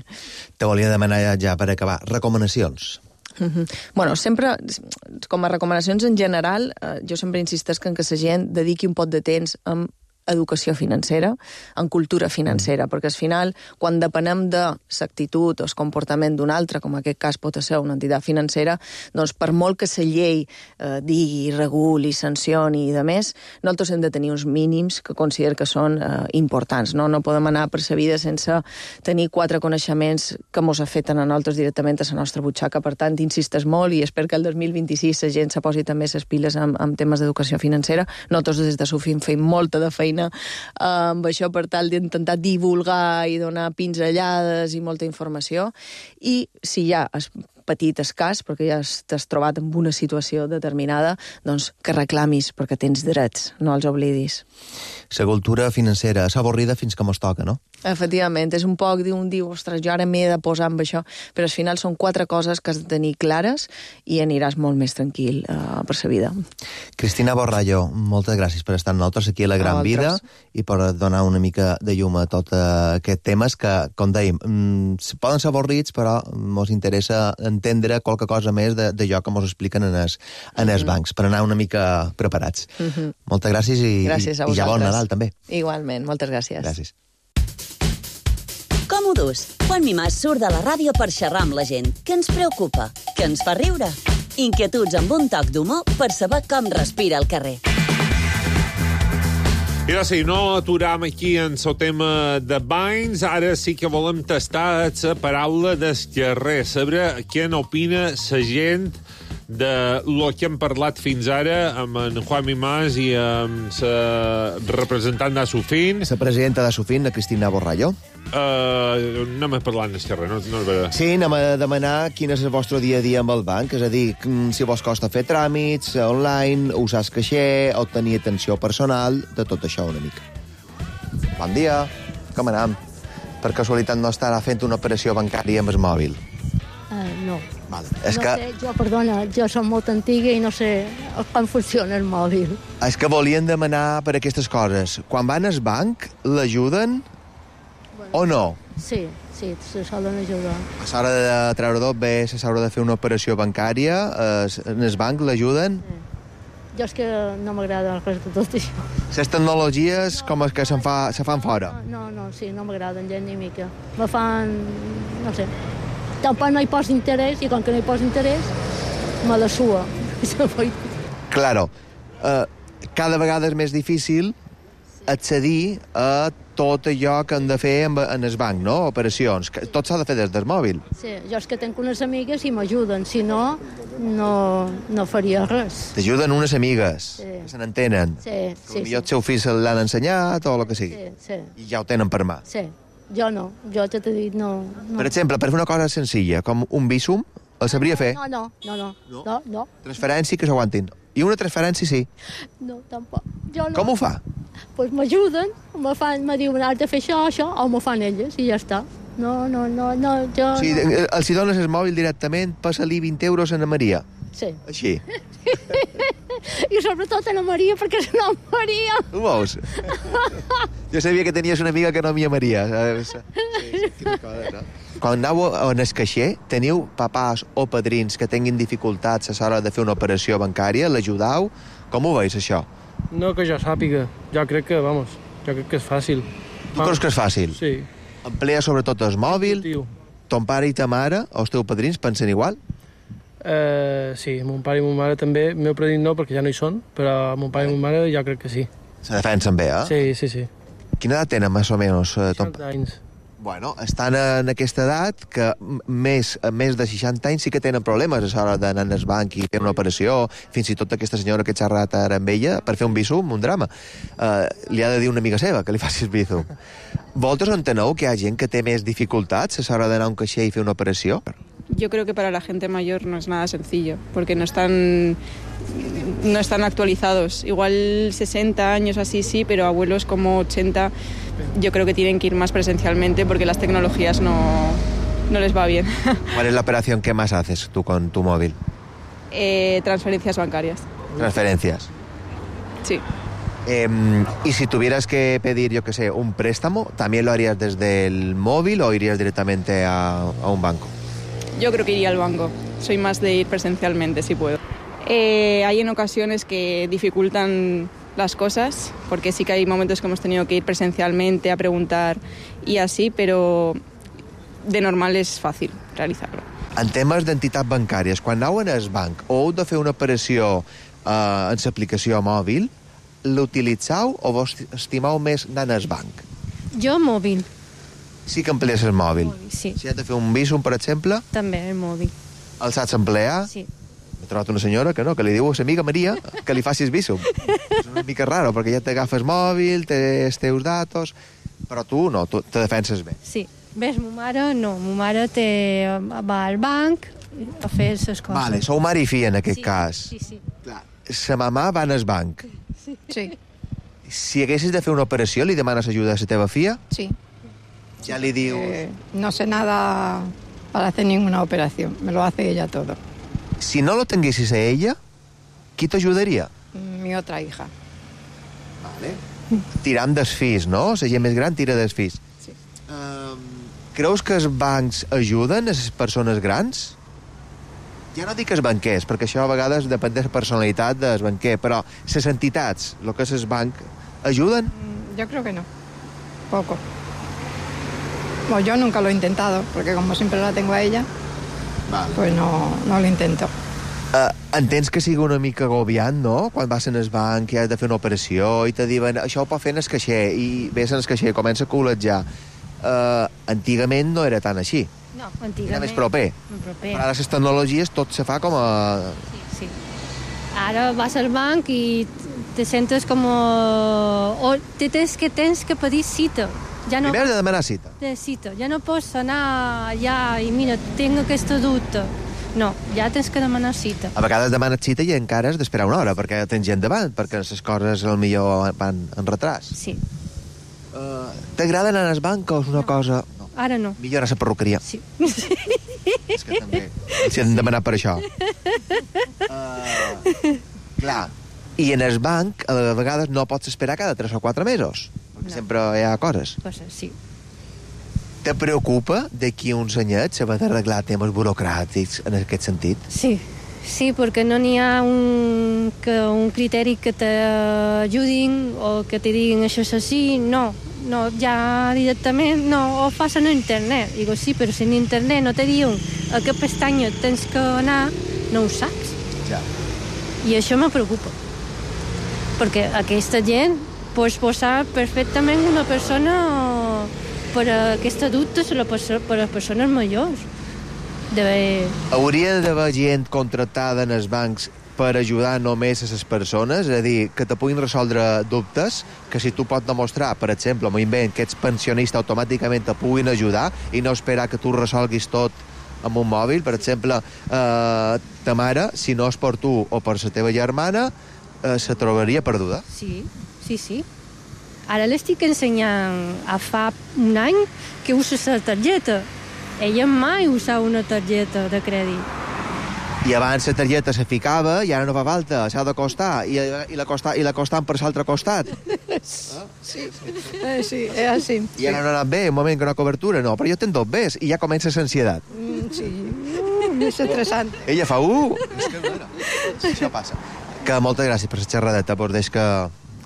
Speaker 5: Te volia demanar ja per acabar recomanacions.
Speaker 7: Mm-hmm. Bueno, sempre, com a recomanacions en general, eh, jo sempre insistesc en que la gent dediqui un pot de temps a educació financera, en cultura financera, mm. perquè al final, quan depenem de l'actitud o el comportament d'un altre, com en aquest cas pot ser una entitat financera, doncs per molt que la llei eh, digui, reguli, sancioni i de més, nosaltres hem de tenir uns mínims que considero que són eh, importants. No? no podem anar per la vida sense tenir quatre coneixements que mos afecten a nosaltres directament a la nostra butxaca. Per tant, insistes molt i espero que el dos mil vint-i-sis la gent se posi també les piles amb, amb temes d'educació financera. Nosaltres des de Sofim fem molta de feina amb això per tal d'intentar divulgar i donar pinzellades i molta informació. I si hi ha petit escàs, perquè ja t'has trobat en una situació determinada, doncs que reclamis, perquè tens drets, no els oblidis.
Speaker 5: La cultura financera és avorrida fins que mos toca, no?
Speaker 7: Efectivament, és un poc d'un diu, ostres, jo ara m'he de posar amb això, però al final són quatre coses que has de tenir clares i aniràs molt més tranquil uh, per la vida.
Speaker 5: Cristina Borrallo, moltes gràcies per estar amb nosaltres aquí a La Gran Vida i per donar una mica de llum a tot uh, aquest temes que, com dèiem, mm, poden ser avorrits, però mos interessa entendre qualque cosa més d'allò que mos expliquen en els, en els bancs, per anar una mica preparats. Uh-huh. Moltes gràcies i, gràcies i, i ja bon Nadal, també.
Speaker 7: Igualment, moltes gràcies.
Speaker 5: Gràcies.
Speaker 3: Com ho dus? Juan Mimàs surt de la ràdio per xerrar amb la gent. Què ens preocupa? Què ens fa riure? Inquietuds amb un toc d'humor per saber com respira el carrer.
Speaker 4: I ara sí, no aturam aquí en el tema de banys, ara sí que volem tastar la paraula del carrer, saber què n'opina la gent de lo que hem parlat fins ara amb en Juan Mimàs i amb la representant d'Asufin.
Speaker 5: La presidenta d'Asufin, la Cristina Borrallo.
Speaker 4: Uh, anem a parlar en el carrer, no, no és veritat.
Speaker 5: Sí, anem a demanar quin és el vostre dia a dia amb el banc, és a dir, si vos costa fer tràmits online, usar el caixer, o tenir atenció personal, de tot això una mica. Bon dia, com anem? Per casualitat no estarà fent una operació bancària amb el mòbil?
Speaker 8: Uh, no.
Speaker 5: Vale. És
Speaker 8: no
Speaker 5: que...
Speaker 8: sé, jo, perdona, jo som molt antiga i no sé com funciona el mòbil.
Speaker 5: És que volien demanar per aquestes coses. Quan van al banc, l'ajuden bueno, o no?
Speaker 8: Sí, sí, se solen ajudar.
Speaker 5: A l'hora de treure tot bé, a l'hora de fer una operació bancària, en el banc l'ajuden?
Speaker 8: Sí. Jo és que no m'agrada res de tot això.
Speaker 5: Les tecnologies no, com és que se'n fa, se fan fora?
Speaker 8: No, no, sí, no m'agraden gens ni mica. Me fan, no sé... Tampoc no hi posa interès, i com que no hi posa interès, me la sua.
Speaker 5: Claro. Uh, cada vegada és més difícil accedir a tot allò que han de fer en, en el banc, no? Operacions. Tot s'ha de fer des del mòbil.
Speaker 8: Sí, jo és que tenc unes amigues i m'ajuden. Si no, no, no faria res.
Speaker 5: T'ajuden unes amigues,
Speaker 8: sí,
Speaker 5: que se n'entenen.
Speaker 8: Sí, sí.
Speaker 5: Potser el seu fill l'han ensenyat o el que sigui.
Speaker 8: Sí, sí.
Speaker 5: I ja ho tenen per mà.
Speaker 8: Sí. Jo no, jo t'he dit no, no.
Speaker 5: Per exemple, per fer una cosa senzilla, com un Bizum, el sabria fer?
Speaker 8: No, no, no, no, no, no, no.
Speaker 5: Transferència que s'aguantin. I una transferència sí.
Speaker 8: No, tampoc. Jo no.
Speaker 5: Com ho fa?
Speaker 8: Doncs pues m'ajuden, me fan, me diuen, has de fer això, això, o me fan elles, i ja està. No, no, no, no, jo
Speaker 5: sí,
Speaker 8: no.
Speaker 5: Els hi dones el mòbil directament, passa-li vint euros a la Maria.
Speaker 8: Sí.
Speaker 5: Així.
Speaker 8: I sobretot a la Maria, perquè és una Maria.
Speaker 5: Ho veus? Jo sabia que tenies una amiga que no m'hi Maria. Sí, quina cosa, no? Quan aneu en el caixer, teniu papàs o padrins que tinguin dificultats a l'hora de fer una operació bancària? L'ajudau? Com ho veus, això?
Speaker 9: No que jo sàpiga. Jo crec que, vamos, jo crec que és fàcil.
Speaker 5: Tu creus que és fàcil?
Speaker 9: Sí.
Speaker 5: Emplea sobretot el mòbil? Ton pare i ta mare, o els teus padrins, pensen igual?
Speaker 9: Uh, sí, mon pare i mon mare també. El meu padrí no, perquè ja no hi són, però mon pare i mon mare jo crec que sí.
Speaker 5: Se defensen bé, eh?
Speaker 9: Sí, sí, sí.
Speaker 5: Quina edat tenen, més o menys?
Speaker 9: seixanta anys.
Speaker 5: Bueno, estan en aquesta edat que més, més de seixanta anys sí que tenen problemes a l'hora d'anar al banc i fer una operació. Fins i tot aquesta senyora que he xerrat ara amb ella, per fer un Bizum, un drama, uh, li ha de dir una amiga seva que li faci el Bizum. Vosaltres enteneu que hi ha gent que té més dificultats a l'hora d'anar a un caixer i fer una operació?
Speaker 10: Yo creo que para la gente mayor no es nada sencillo, porque no están, no están actualizados. Igual sesenta años así sí, pero abuelos como ochenta yo creo que tienen que ir más presencialmente porque las tecnologías no, no les va bien.
Speaker 5: ¿Cuál es la operación que más haces tú con tu móvil?
Speaker 10: Eh, transferencias bancarias.
Speaker 5: ¿Transferencias?
Speaker 10: Sí.
Speaker 5: Eh, y si tuvieras que pedir, yo qué sé, un préstamo, ¿también lo harías desde el móvil o irías directamente a, a un banco?
Speaker 10: Yo creo que iría al banco. soy más de ir presencialmente si puedo. Eh, hay en ocasiones que dificultan las cosas, porque sí que hay momentos que hemos tenido que ir presencialmente a preguntar y así, pero de normal és fàcil realitzar-lo.
Speaker 5: En temes d'entitats bancàries, quan aneu en el banc o heu de fer una operació eh, en l'aplicació mòbil, l'utilitzeu o vos estimeu més anar al banc?
Speaker 8: Jo mòbil.
Speaker 5: Sí que emplees el mòbil?
Speaker 8: Mòbil, sí.
Speaker 5: Si has de fer un visum, per exemple?
Speaker 8: També, el mòbil.
Speaker 5: El saps emplear?
Speaker 8: Sí.
Speaker 5: He trobat una senyora que no, que li diu a sa amiga Maria que li facis visum. És una mica raro, perquè ja t'agafes mòbil, té els teus datos, però tu no, tu te defenses bé.
Speaker 8: Sí. Ves, ma mare no. Ma mare té, va al banc a fer les coses.
Speaker 5: Vale, sou mare i filla en aquest
Speaker 8: sí,
Speaker 5: cas.
Speaker 8: Sí, sí.
Speaker 5: Clar, sa mamà va al banc.
Speaker 8: Sí. sí.
Speaker 5: Si haguessis de fer una operació, li demanes ajuda a la teva filla?
Speaker 11: Sí.
Speaker 5: Ya le digo...
Speaker 11: Eh, no sé nada para hacer ninguna operación. Me lo hace ella todo.
Speaker 5: Si no lo tenguessis a ella, qui t'ajudaria?
Speaker 11: Mi otra hija.
Speaker 5: Vale. Tirant dels fills, no? La gent més gran tira dels fills.
Speaker 11: Sí.
Speaker 5: Um, creus que els bancs ajuden a les persones grans? Ja no dic els banquers, perquè això a vegades depèn de la personalitat del banquer, però les entitats, el que és el banc, ajuden?
Speaker 11: Yo creo que no. Poco. Bueno, yo nunca lo he intentado, porque como siempre la tengo a ella, vale. Pues no, no lo intento.
Speaker 5: Uh, entens que sigui una mica agobiant, no? Quan vas en el banc i has de fer una operació i te diuen això ho pot fer en el caixer i ves en el caixer i comença a col·legiar. Uh, antigament no era tan així.
Speaker 8: No, antigament...
Speaker 5: Era més proper.
Speaker 8: proper.
Speaker 5: Però ara les tecnologies tot se fa com a...
Speaker 8: Sí, sí. Ara vas al banc i te sentes com... O te tens que, tens que pedir cita. Ja no...
Speaker 5: Primer de demanar cita.
Speaker 8: De cita. Ja no pots anar allà i mira, tinc aquesta dubte. No, ja tens que demanar cita.
Speaker 5: A vegades demanes cita i encara has d'esperar una hora perquè tens gent davant, perquè les coses potser van en retras.
Speaker 8: Sí.
Speaker 5: Uh, T'agrada anar al banc o és una no. cosa...
Speaker 8: No. Ara no.
Speaker 5: Millor a la perruqueria.
Speaker 8: Sí.
Speaker 5: És que també els han demanat per això. Uh, clar. I en el banc, a vegades no pots esperar cada tres o quatre mesos. Perquè no. Sempre hi ha coses.
Speaker 8: Coses, sí.
Speaker 5: Te preocupa d'aquí uns anyets s'ha d'arreglar temes burocràtics en aquest sentit?
Speaker 8: Sí, sí, perquè no n'hi ha un, que, un criteri que t'ajudin o que te diguin això és així, no. No, ja directament no, ho fas en internet. Digo, sí, però si en internet no te diuen a què pestanya tens que anar, no ho saps.
Speaker 5: Ja.
Speaker 8: I això me preocupa. Perquè aquesta gent pots posar perfectament una persona per a aquesta dubte per a les persones majors. De...
Speaker 5: Hauria d'haver gent contractada en els bancs per ajudar només a les persones, és a dir, que te puguin resoldre dubtes, que si tu pots demostrar, per exemple, m'ho invent, que ets pensionista, automàticament te puguin ajudar i no esperar que tu resolguis tot amb un mòbil. Per exemple, eh, ta mare, si no és per tu o per la teva germana, eh, se trobaria perduda.
Speaker 8: Sí, sí, sí. Ara l'estic ensenyant a fa un any que usa la targeta. Ella mai usava una targeta de crèdit.
Speaker 5: I abans la targeta se ficava i ara no fa falta, s'ha de costar, i, i la costa, i la costant per l'altre costat.
Speaker 11: Sí, eh, sí, és així.
Speaker 5: I ara no ha anat bé, un moment que no ha cobertura, no, però jo tenc dos bés, i ja comença l'ansietat.
Speaker 11: Mm, sí, uh, és estressant.
Speaker 5: Ella fa, uh, és que bueno, això passa. Que moltes gràcies per la xerradeta, por des que,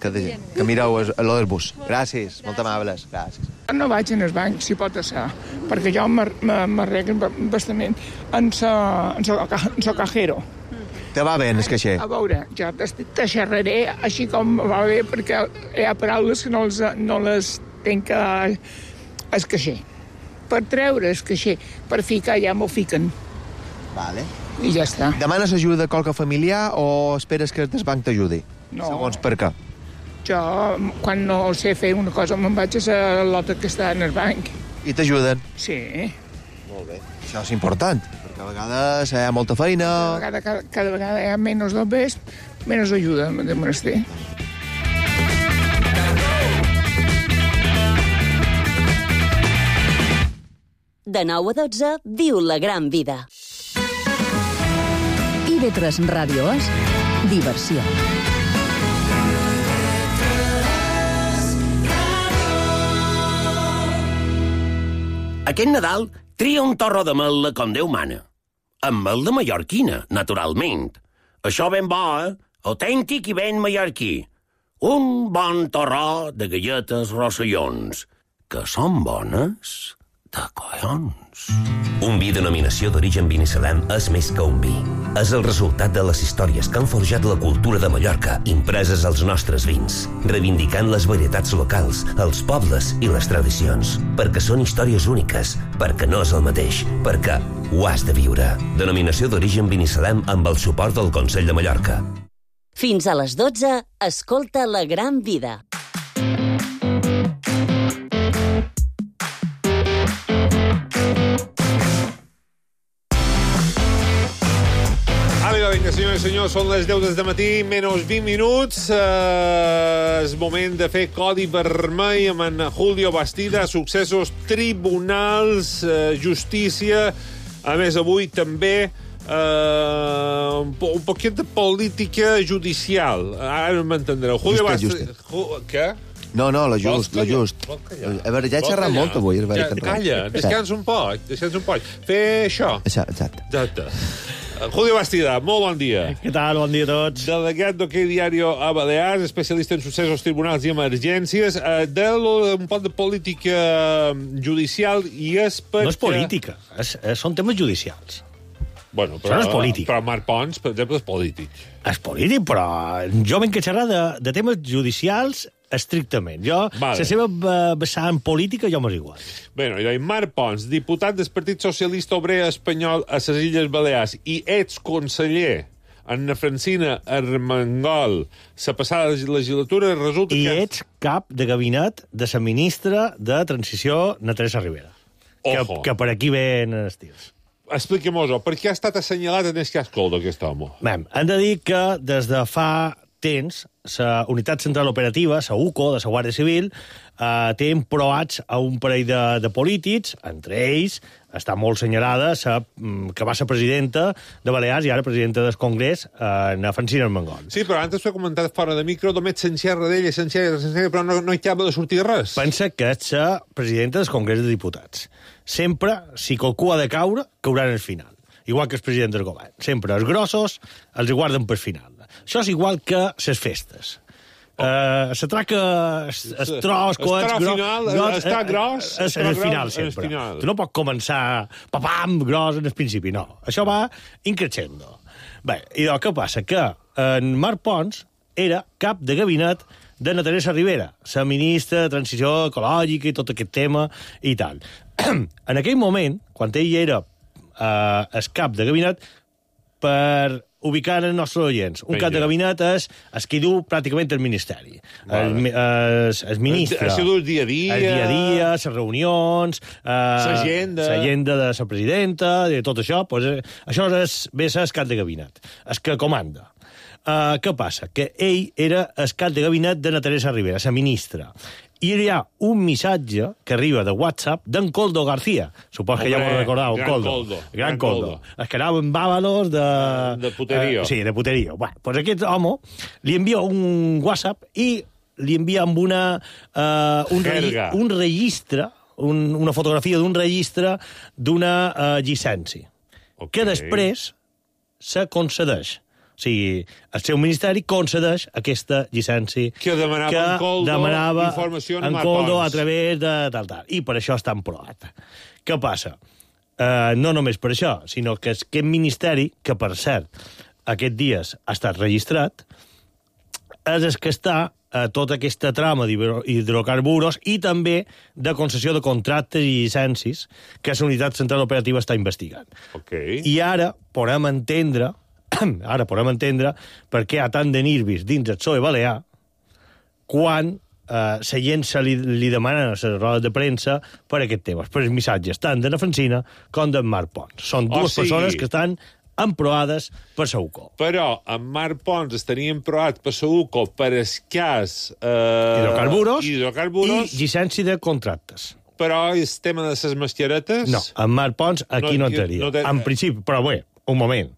Speaker 5: que, que mireu a lo del bus. Gràcies, molt amables, gràcies.
Speaker 12: No vaig en el banc, si pot ser, perquè jo m'arreglo bastament en el cajero.
Speaker 5: Te va bé en el caixer?
Speaker 12: A veure, jo te xerraré així com va bé, perquè hi ha paraules que no, els, no les tenc al caixer. Per treure el caixer, per ficar ja m'ho fiquen.
Speaker 5: Vale.
Speaker 12: I ja està.
Speaker 5: Demanes ajuda a qualque familiar o esperes que el banc t'ajudi?
Speaker 12: No.
Speaker 5: Segons per què?
Speaker 12: Jo, quan no sé fer una cosa, me'n vaig a la lota que està en el banc.
Speaker 5: I t'ajuden?
Speaker 12: Sí.
Speaker 5: Molt bé. Això és important, perquè a vegades hi ha molta feina...
Speaker 12: Cada vegada, cada, cada vegada hi ha menys dobbers, menys ajuda de menester.
Speaker 3: De nou a dotze, viu la gran vida.
Speaker 2: I ve tres Ràdio és diversió.
Speaker 13: Aquest Nadal tria un torro de mel com Déu mana. amb mel de mallorquina, naturalment. Això ben bo, eh? Autèntic i ben mallorquí. Un bon torró de galletes rossellons, que són bones de collons.
Speaker 14: Un vi denominació d'origen Binissalem és més que un vi. És el resultat de les històries que han forjat la cultura de Mallorca, impreses als nostres vins, reivindicant les varietats locals, els pobles i les tradicions. Perquè són històries úniques, perquè no és el mateix, perquè ho has de viure. Denominació d'origen Binissalem amb el suport del Consell de Mallorca.
Speaker 3: Fins a les dotze, escolta La Gran Vida.
Speaker 4: Vinga, senyors i senyors, són les deu del matí, menys vint minuts. Eh, és moment de fer codi vermell amb en Julio Bastida, successos, tribunals, eh, justícia. A més, avui també eh, un, po un poquet de política judicial. Ara m'entendreu. Julio Bastida... Què?
Speaker 5: No, no, la just, la just. A veure, ja he xerrat molt avui.
Speaker 4: Ja, calla, descans un poc, descans un poc. Fer això.
Speaker 5: Exacte.
Speaker 4: Exacte. Julio Bastida, molt bon dia.
Speaker 15: Què tal? Bon dia a tots.
Speaker 4: Delegat d'Ok Diario a Balears, especialista en successos, tribunals i emergències. Eh, de lo, un poc de política judicial i és perquè...
Speaker 15: No és política, és, són temes judicials.
Speaker 4: Bueno, però,
Speaker 15: Això no és polític.
Speaker 4: Però Marc Pons, per exemple, és polític.
Speaker 15: És polític, però jo venc a xerrar de, de temes judicials estrictament. Jo, vale. La seva vessant política, jo m'és igual.
Speaker 4: Bé, no, Marc Pons, diputat del Partit Socialista Obrer Espanyol a les Illes Balears i exconseller Anna Francina Armengol, la passada legislatura, resulta
Speaker 15: I
Speaker 4: que...
Speaker 15: I ets cap de gabinet de la ministra de Transició, na Teresa Rivera. Que, que per aquí ven els tirs.
Speaker 4: Expliquem-ho, per què ha estat assenyalat en el cas Coldo, aquest home?
Speaker 15: Bé, hem de dir que des de fa temps la Unitat Central Operativa, la U C O, de la Guàrdia Civil, eh, té emproats a un parell de, de polítics, entre ells està molt senyalada la, que va ser presidenta de Balears i ara presidenta del Congrés, eh, na Francina Armengol.
Speaker 4: Sí, però antes t'ho he comentat fora de micro, només s'enxerra d'ella, s'enxerra, s'enxerra, però no, no hi acaba de sortir res.
Speaker 15: Pensa que és la presidenta del Congrés de Diputats. Sempre, si qualcú ha de caure, caurà en el final. Igual que els presidents del govern. Sempre els grossos els guarden per final. Això és igual que les festes. Oh. Uh, se traca el tros, coets, gros...
Speaker 4: Final,
Speaker 15: gros
Speaker 4: està gros...
Speaker 15: És en el final, sempre. Tu no pots començar papam, gros, en el principi, no. Això va increixendo. Bé, i doncs què passa? Que en Marc Pons era cap de gabinet de na Teresa Rivera, la ministra de Transició Ecològica i tot aquest tema i tal. En aquell moment, quan ell era Uh, el cap de gabinet, per ubicar els nostres oients. Un Venga. Cap de gabinet és el que diu pràcticament el ministeri. Vale. El, el, el ministre.
Speaker 4: El, el, el dia a dia.
Speaker 15: El dia a dia, les reunions...
Speaker 4: L'agenda.
Speaker 15: Uh, L'agenda de la presidenta, de tot això. Pues, això és, ve a ser el cap de gabinet. El que comanda. Uh, què passa? Que ell era el cap de gabinet de na Teresa Rivera, la ministra. I hi ha un missatge que arriba de WhatsApp d'en Coldo García. Supos que ja m'ho recordeu, Coldo.
Speaker 4: Coldo.
Speaker 15: Gran, gran Coldo. Coldo. Es que anava amb bàbalos de...
Speaker 4: De puterío.
Speaker 15: Uh, sí, de puterío. Bueno, pues aquest home li envia un WhatsApp i li envia amb una... Uh, un, regi un registre, un, una fotografia d'un registre d'una uh, llicència. Okay. Que després se concedeix. O sigui, el seu ministeri concedeix aquesta llicència
Speaker 4: que demanava
Speaker 15: que
Speaker 4: en Coldo
Speaker 15: demanava
Speaker 4: informació
Speaker 15: en Coldo a través de tal, tal. I per això està emproat. Què passa? Uh, no només per això, sinó que aquest ministeri, que per cert, aquests dies ha estat registrat, és el que està a tota aquesta trama d'hidrocarburs i també de concessió de contractes i llicències que la Unitat Central Operativa està investigant.
Speaker 4: Okay.
Speaker 15: I ara podem entendre ara podem entendre per què hi ha tant de nervis dins el P S O E balear quan eh, la gent se li, li demana a les rodes de premsa per aquest tema, per els missatges tant de na Francina com d'en Marc Pons. Són dues oh, sí. persones que estan emproades per la U C O.
Speaker 4: Però en Marc Pons estaria emproat per la U C O per el cas... Eh,
Speaker 15: hidrocarburs,
Speaker 4: hidrocarburs
Speaker 15: i llicència de contractes.
Speaker 4: Però el tema de les mascaretes...
Speaker 15: No, en Marc Pons aquí no, no entraria. No te... En principi, però bé, un moment...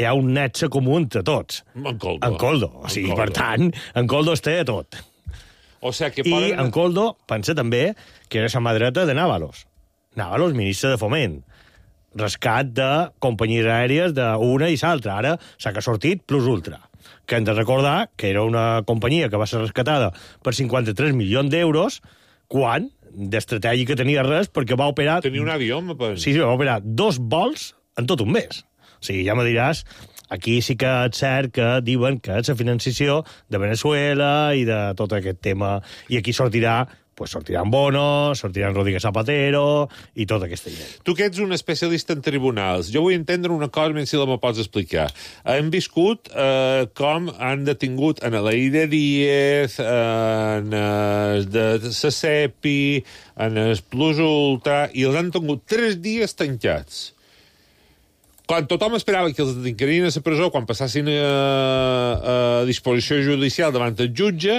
Speaker 15: Hi ha un nexe comú entre tots.
Speaker 4: En Coldo.
Speaker 15: En Coldo. O sigui, en Coldo. Per tant, en Coldo es té tot.
Speaker 4: O sigui que
Speaker 15: poden... I
Speaker 4: poden...
Speaker 15: en Coldo pensa també que era la mà dreta de Návalos. Návalos, ministre de Foment. rescat de companyies aèries d'una i l'altra. Ara s'ha que sortit Plus Ultra, que hem de recordar que era una companyia que va ser rescatada per cinquanta-tres milions d'euros, quan d'estratègica tenia res, perquè va operar...
Speaker 4: Tenia un avió, me penso.
Speaker 15: Sí, sí, va operar dos vols en tot un mes. O sigui, ja me diràs, aquí sí que és cert que diuen que és la financiació de Venezuela i de tot aquest tema. I aquí sortirà, pues sortiran Bono, sortiran Rodríguez Zapatero i tota aquesta gent.
Speaker 4: Tu que ets un especialista en tribunals, jo vull entendre una cosa, menys si la me pots explicar. Hem viscut eh, com han detingut en l'Aire Díez, en el de la CEPI, en el Plus Ultra, i els han tingut tres dies tancats. Quan tothom esperava que els detincarien a la presó, quan passassin a, a disposició judicial davant el jutge,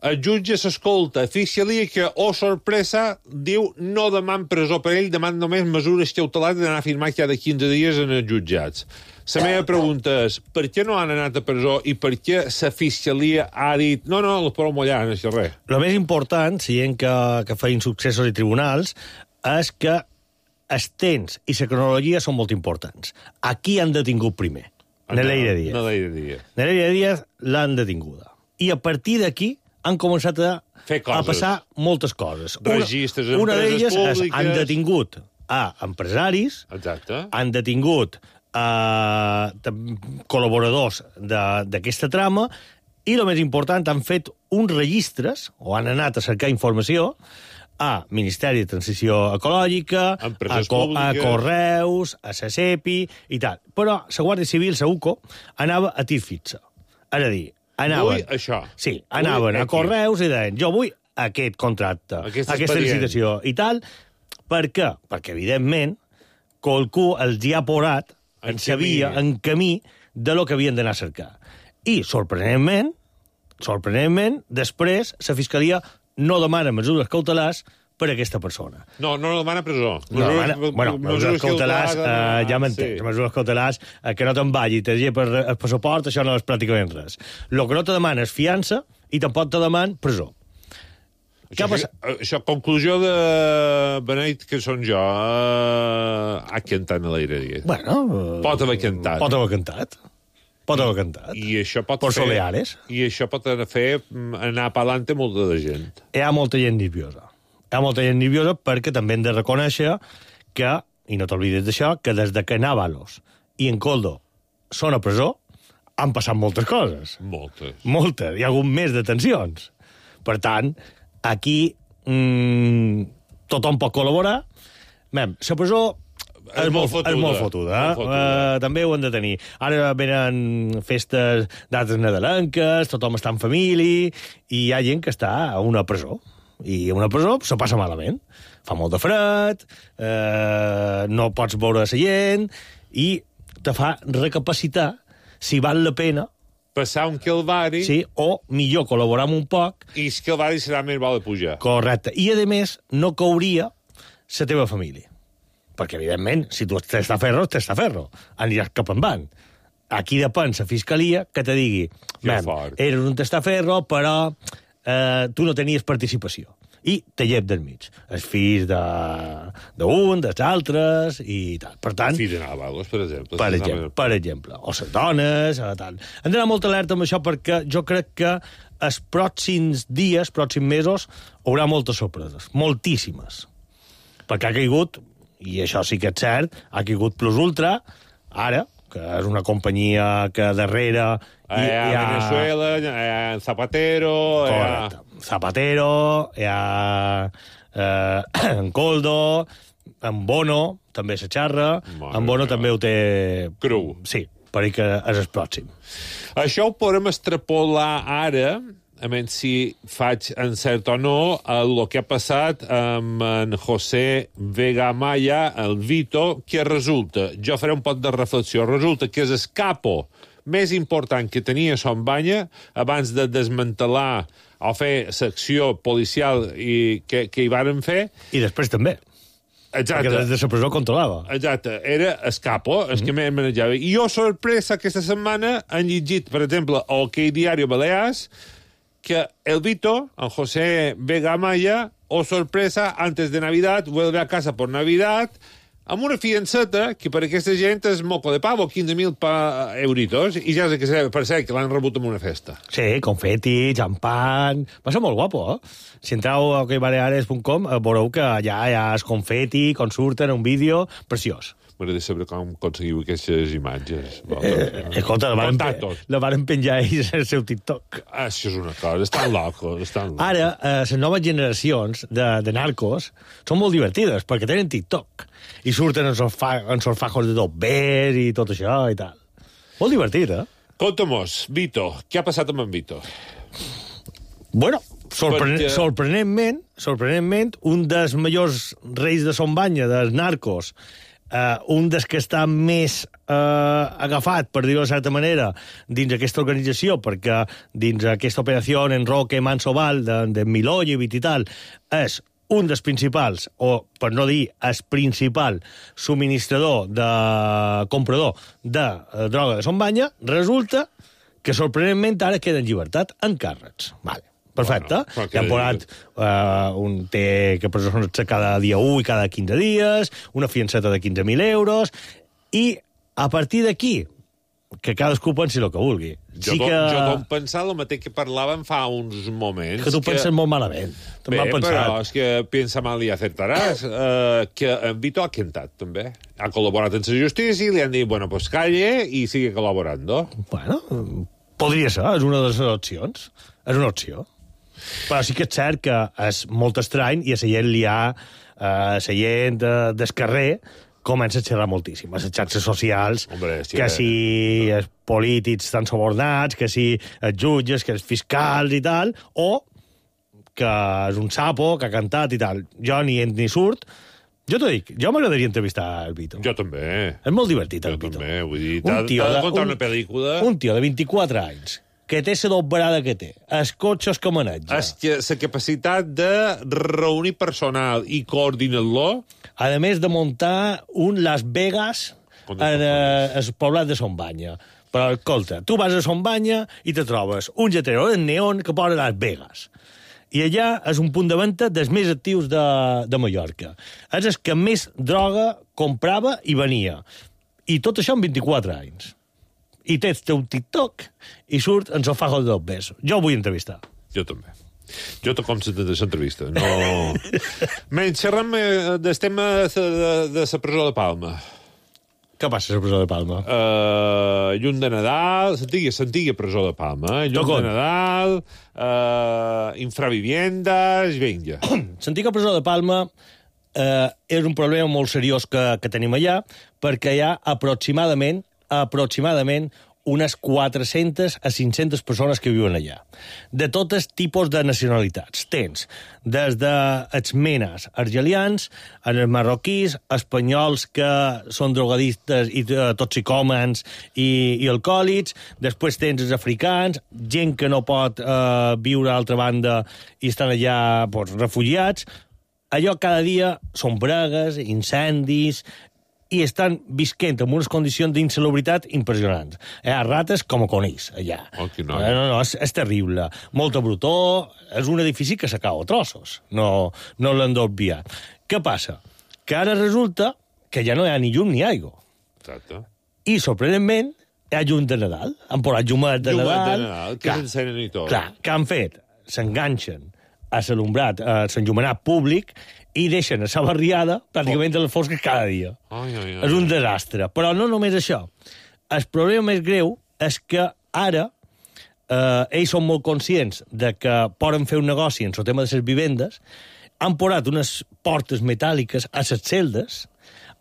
Speaker 4: el jutge s'escolta a Fiscalia que, oh sorpresa, diu no deman presó per ell, deman només mesures cautelars d'anar a firmar cada quinze dies en els jutjats. La meva pregunta és, per què no han anat a presó i per què la Fiscalia ha dit no, no, els podeu mullar, no és res?
Speaker 15: El més important, sent que, que feien successos i tribunals, és que els temps i la cronologia són molt importants. Aquí han detingut primer, Neleire Díaz.
Speaker 4: Neleire Díaz.
Speaker 15: Neleire Díaz l'han detinguda. I a partir d'aquí han començat a, a passar moltes coses.
Speaker 4: Registres,
Speaker 15: una, una
Speaker 4: empreses públiques...
Speaker 15: És, han detingut a empresaris,
Speaker 4: exacte,
Speaker 15: han detingut a col·laboradors d'aquesta trama, i el més important, han fet uns registres, o han anat a cercar informació, a Ministeri de Transició Ecològica, a, co a Correus, a la CEPI i tal. Però la Guàrdia Civil, la U C O, anava a tir fixa. És a dir, anaven...
Speaker 4: Vull això.
Speaker 15: Sí, anaven
Speaker 4: vull
Speaker 15: a Correus i deien, jo vull aquest contracte,
Speaker 4: aquesta,
Speaker 15: aquesta licitació i tal. Per què? Perquè, evidentment, qualcú els hi ha porat, en sabia, en camí, de lo que havien d'anar a cercar. I, sorprenentment, sorprenentment, després, la Fiscalia no demana mesures cautelars per a aquesta persona.
Speaker 4: No, no demana presó.
Speaker 15: No demana, bueno, mesures cautelars, eh, ja m'entens, sí. Mesures cautelars eh, que no te'n vagi, te digui per el passaport, això no és pràcticament res. El que no te demana és fiança i tampoc te demana presó.
Speaker 4: Això, això, això, conclusió de Beneit, que són jo, eh, ha cantat a l'aire dia.
Speaker 15: Bueno...
Speaker 4: Eh, pot haver cantat.
Speaker 15: Pot haver cantat. Pot haver cantat.
Speaker 4: I això pot
Speaker 15: Por
Speaker 4: fer...
Speaker 15: Soleares.
Speaker 4: I això pot fer anar pa'lante molta de gent.
Speaker 15: Hi ha molta gent nerviosa. Hi ha molta gent nerviosa perquè també hem de reconèixer que, i no t'oblides d'això, que des de que Návalos i en Coldo són a presó, han passat moltes coses.
Speaker 4: Moltes.
Speaker 15: Moltes. Hi ha hagut més detencions. Per tant, aquí mmm, tothom pot col·laborar. Mem, la presó... És molt fotuda. És molt fotuda, eh? Molt fotuda. Uh, també ho hem de tenir. Ara venen festes dates nadalenques, tothom està en família, i hi ha gent que està a una presó. I a una presó se passa malament. Fa molt de fred, eh, no pots veure la gent, i te fa recapacitar si val la pena
Speaker 4: passar un calvari...
Speaker 15: Sí, o millor col·laborar amb un poc...
Speaker 4: I el calvari serà més bo de pujar.
Speaker 15: Correcte. I, a més, no cauria la teva família. Perquè, evidentment, si tu estàs a ferro, estàs a ferro. Aniràs cap en van. Aquí depèn la fiscalia que te digui eres un testaferro, però eh, tu no tenies participació. I te llep del mig. Els fills d'un, dels altres, i tal. Per tant...
Speaker 4: Fills de Navalos, per exemple.
Speaker 15: Per exemple, per exemple. O les dones, o tal. Hem d'anar molt alerta amb això perquè jo crec que els pròxims dies, pròxims mesos, haurà moltes sorpreses. Moltíssimes. Perquè ha caigut... i això sí que és cert, ha caigut Plus Ultra, ara, que és una companyia que darrere...
Speaker 4: Hi ha, hi ha Venezuela, hi ha Zapatero...
Speaker 15: Correcte. Hi ha... Zapatero, hi ha eh, en Coldo, en Bono, també se xarra, en Bono també ho té...
Speaker 4: Cru.
Speaker 15: Sí, per dir que és el pròxim.
Speaker 4: Això ho podem extrapolar ara... a menys si faig encert o no, el que ha passat amb en José Vega Maya, el Vito, que resulta, jo faré un pot de reflexió, resulta que és el capo més important que tenia Son Banya abans de desmantelar o fer secció policial i que, que hi varen fer.
Speaker 15: I després també.
Speaker 4: Exacte.
Speaker 15: Perquè des de la presó controlava.
Speaker 4: Exacte. Era el capo, el mm-hmm. que més manejava. I jo, sorpresa, aquesta setmana han llegit, per exemple, al que Diario Balears, que el Vito, en José Vega Maya, o sorpresa, antes de Navidad, vuelve a casa por Navidad, amb una fiançeta que per aquesta gent és moco de pavo, quinze mil euritos, i ja sé que per ser que l'han rebut en una festa.
Speaker 15: Sí, confeti, xampan... Va ser molt guapo, eh? Si entreu a okbaleares punt com veureu que allà hi ha el confeti, com surten, un vídeo preciós.
Speaker 4: M'agradaria saber com aconseguiu aquestes imatges.
Speaker 15: Eh, escolta, la van, la van penjar ells al seu TikTok.
Speaker 4: Ah, això és una cosa, estan locos, estan locos.
Speaker 15: Ara, eh, les noves generacions de, de narcos són molt divertides, perquè tenen TikTok, i surten en sos, fa, en sos fajos de dobbers i tot això i tal. Molt divertit, eh?
Speaker 4: Conta-mos, Vito, què ha passat amb en Vito?
Speaker 15: Bueno, sorpre
Speaker 4: Perquè...
Speaker 15: sorprenentment, sorprenentment, un dels majors reis de Son Banya, dels narcos, Uh, un dels que està més uh, agafat, per dir-ho de certa manera, dins aquesta organització, perquè dins aquesta operació en Roque Mansoval, de, de Milojevic i tal, és un dels principals, o per no dir el principal subministrador, de comprador de uh, droga de Son Banya, resulta que sorprenentment ara queda en llibertat en càrrecs. Vale. Perfecte. Bueno, ja han posat uh, un té que presonats cada dia u i cada quinze dies, una fiançeta de quinze mil euros, i a partir d'aquí, que cadascú pensi el que vulgui.
Speaker 4: Jo, sí que... jo com pensar el mateix que parlàvem fa uns moments...
Speaker 15: Que tu
Speaker 4: que...
Speaker 15: penses molt malament.
Speaker 4: Bé, però és que pensa mal i acertaràs. Uh, que en Vito ha quentat, també. Ha col·laborat amb la justícia i li han dit, bueno, pues calle i sigue col·laborando.
Speaker 15: Bueno, podria ser, és una de les opcions. És una opció. Però sí que és cert que és molt estrany i a la gent li ha... A la gent de, del carrer comença a xerrar moltíssim. A les xarxes socials,
Speaker 4: Hombre, sí,
Speaker 15: que si els polítics estan subornats, que si els jutges, que els fiscals i tal, o que és un sapo que ha cantat i tal. Jo ni ent ni surt. Jo t'ho dic, jo m'agradaria entrevistar el Vito.
Speaker 4: Jo també.
Speaker 15: És molt divertit, el
Speaker 4: jo
Speaker 15: Vito.
Speaker 4: Jo també, vull dir, t'ha de contar
Speaker 15: un,
Speaker 4: una pel·lícula...
Speaker 15: Un tio de vint-i-quatre anys, que té la doblerada que té, els cotxes que maneja...
Speaker 4: La capacitat de reunir personal i coordinar-lo...
Speaker 15: A més de muntar un Las Vegas en el poblat de Son Banya. Però, escolta, tu vas a Son Banya i te trobes un lletrero de neon que posa Las Vegas. I allà és un punt de venda dels més actius de, de Mallorca. És el que més droga comprava i venia. I tot això en vint-i-quatre anys. I tens teu TikTok i surt en sofajos de dos besos. Jo vull entrevistar.
Speaker 4: Jo també. Jo tot com l'entrevista. No... Menys, xerram del tema de, de, de la presó de Palma.
Speaker 15: Què passa a la presó de Palma?
Speaker 4: Uh, llum de Nadal, l'antiga presó de Palma. Eh? Llum de Nadal, uh, infraviviendes, vinga.
Speaker 15: L'antiga presó de Palma uh, és un problema molt seriós que, que tenim allà, perquè hi ha aproximadament aproximadament unes quatre-centes a cinc-centes persones que viuen allà. De tots tipus de nacionalitats. Tens des dels menes argelians, els marroquís, espanyols que són drogadistes i uh, toxicòmens i, i alcohòlics, després tens els africans, gent que no pot uh, viure a l'altra banda i estan allà pues, refugiats. Allò cada dia són bregues, incendis, i estan visquent en unes condicions d'insalubritat impressionants. Hi ha rates com a conills, allà.
Speaker 4: Oh, no,
Speaker 15: no, no, és, és terrible. Molta brutó, és un edifici que s'acaba a trossos. No, no l'han d'obviar. Què passa? Que ara resulta que ja no hi ha ni llum ni aigua.
Speaker 4: Exacte.
Speaker 15: I, sorprenentment, hi ha llum de Nadal. Han posat llumet de
Speaker 4: Nadal.
Speaker 15: Llum
Speaker 4: de Nadal, que s'encenen i tot.
Speaker 15: Clar, què han fet? S'enganxen a l'alumbrat, a l'enllumenat públic, i deixen a la barriada pràcticament a les fosques cada dia.
Speaker 4: Ai, ai, ai.
Speaker 15: És un desastre. Però no només això. El problema més greu és que ara eh, ells són molt conscients de que poden fer un negoci en el tema de les vivendes, han posat unes portes metàl·liques a les celdes,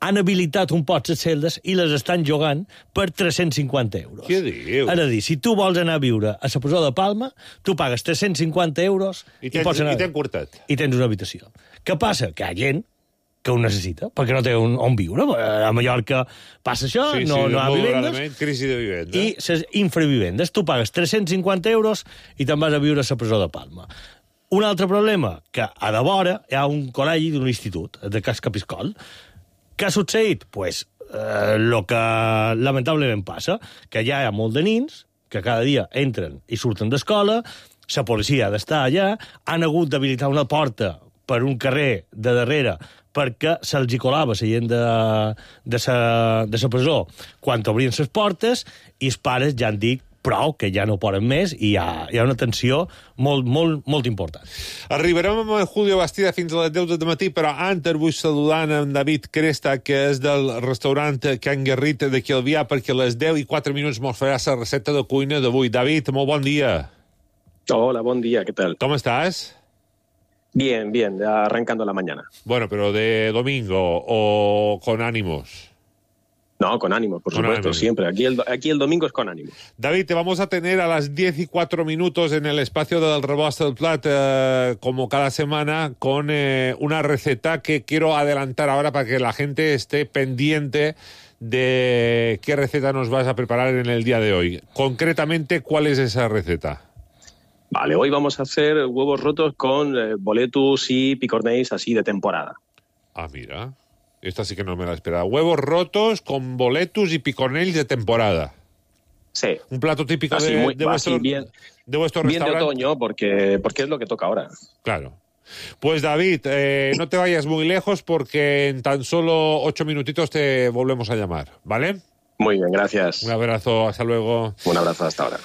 Speaker 15: han habilitat un pot les celdes i les estan jugant per tres-cents cinquanta euros.
Speaker 4: Què dius?
Speaker 15: És a dir, si tu vols anar a viure a la presó de Palma, tu pagues tres-cents cinquanta euros
Speaker 4: i,
Speaker 15: i,
Speaker 4: tens,
Speaker 15: pots anar...
Speaker 4: i tens quartet.
Speaker 15: I tens una habitació. Què passa? Que hi ha gent que ho necessita, perquè no té on, on viure. A Mallorca passa això,
Speaker 4: sí,
Speaker 15: no,
Speaker 4: sí,
Speaker 15: no hi ha vivendes.
Speaker 4: Crisi de vivenda.
Speaker 15: I les infravivendes. Tu pagues tres-cents cinquanta euros i te'n vas a viure a la presó de Palma. Un altre problema, que a de vora hi ha un col·legi d'un institut, de Cas Capiscol. Què ha succeït? Pues, eh, lo que lamentablement passa, que ja hi ha molt de nins que cada dia entren i surten d'escola, la policia ha d'estar allà, han hagut d'habilitar una porta per un carrer de darrere perquè se'ls hi colava la gent de, de, sa, de sa presó quan obrien les portes, i els pares ja han dit prou, que ja no poden més, i hi ha, hi ha una tensió molt, molt, molt important.
Speaker 4: Arribarem amb el Julio Bastida fins a les deu del matí, però antes vull saludar en David Cresta, que és del restaurant Can Garrit de Calvià, perquè a les deu i quatre minuts mos farà la recepta de cuina d'avui. David, molt bon dia.
Speaker 16: Hola, bon dia, ¿qué tal?
Speaker 4: ¿Cómo estás?
Speaker 16: Bien, bien, arrancando la mañana.
Speaker 4: Bueno, pero de domingo o con ánimos.
Speaker 16: No, con ánimo, por
Speaker 4: con
Speaker 16: supuesto,
Speaker 4: ánimo.
Speaker 16: Siempre. Aquí el, aquí el domingo es con ánimo.
Speaker 4: David, te vamos a tener a las diez y cuatro minutos en el espacio del Rebost del Plat, eh, como cada semana, con eh, una receta que quiero adelantar ahora para que la gente esté pendiente de qué receta nos vas a preparar en el día de hoy. Concretamente, ¿cuál es esa receta?
Speaker 16: Vale, hoy vamos a hacer huevos rotos con eh, boletus y picornells así de temporada.
Speaker 4: Ah, mira. Esta sí que no me la esperaba. Huevos rotos con boletus y picornells de temporada.
Speaker 16: Sí.
Speaker 4: Un plato típico
Speaker 16: así,
Speaker 4: de,
Speaker 16: muy,
Speaker 4: de, vuestro,
Speaker 16: bien,
Speaker 4: de vuestro
Speaker 16: bien
Speaker 4: restaurante.
Speaker 16: Bien de otoño, porque, porque es lo que toca ahora.
Speaker 4: Claro. Pues David, eh, no te vayas muy lejos porque en tan solo ocho minutitos te volvemos a llamar, ¿vale?
Speaker 16: Muy bien, gracias.
Speaker 4: Un abrazo, hasta luego.
Speaker 16: Un abrazo, hasta ahora.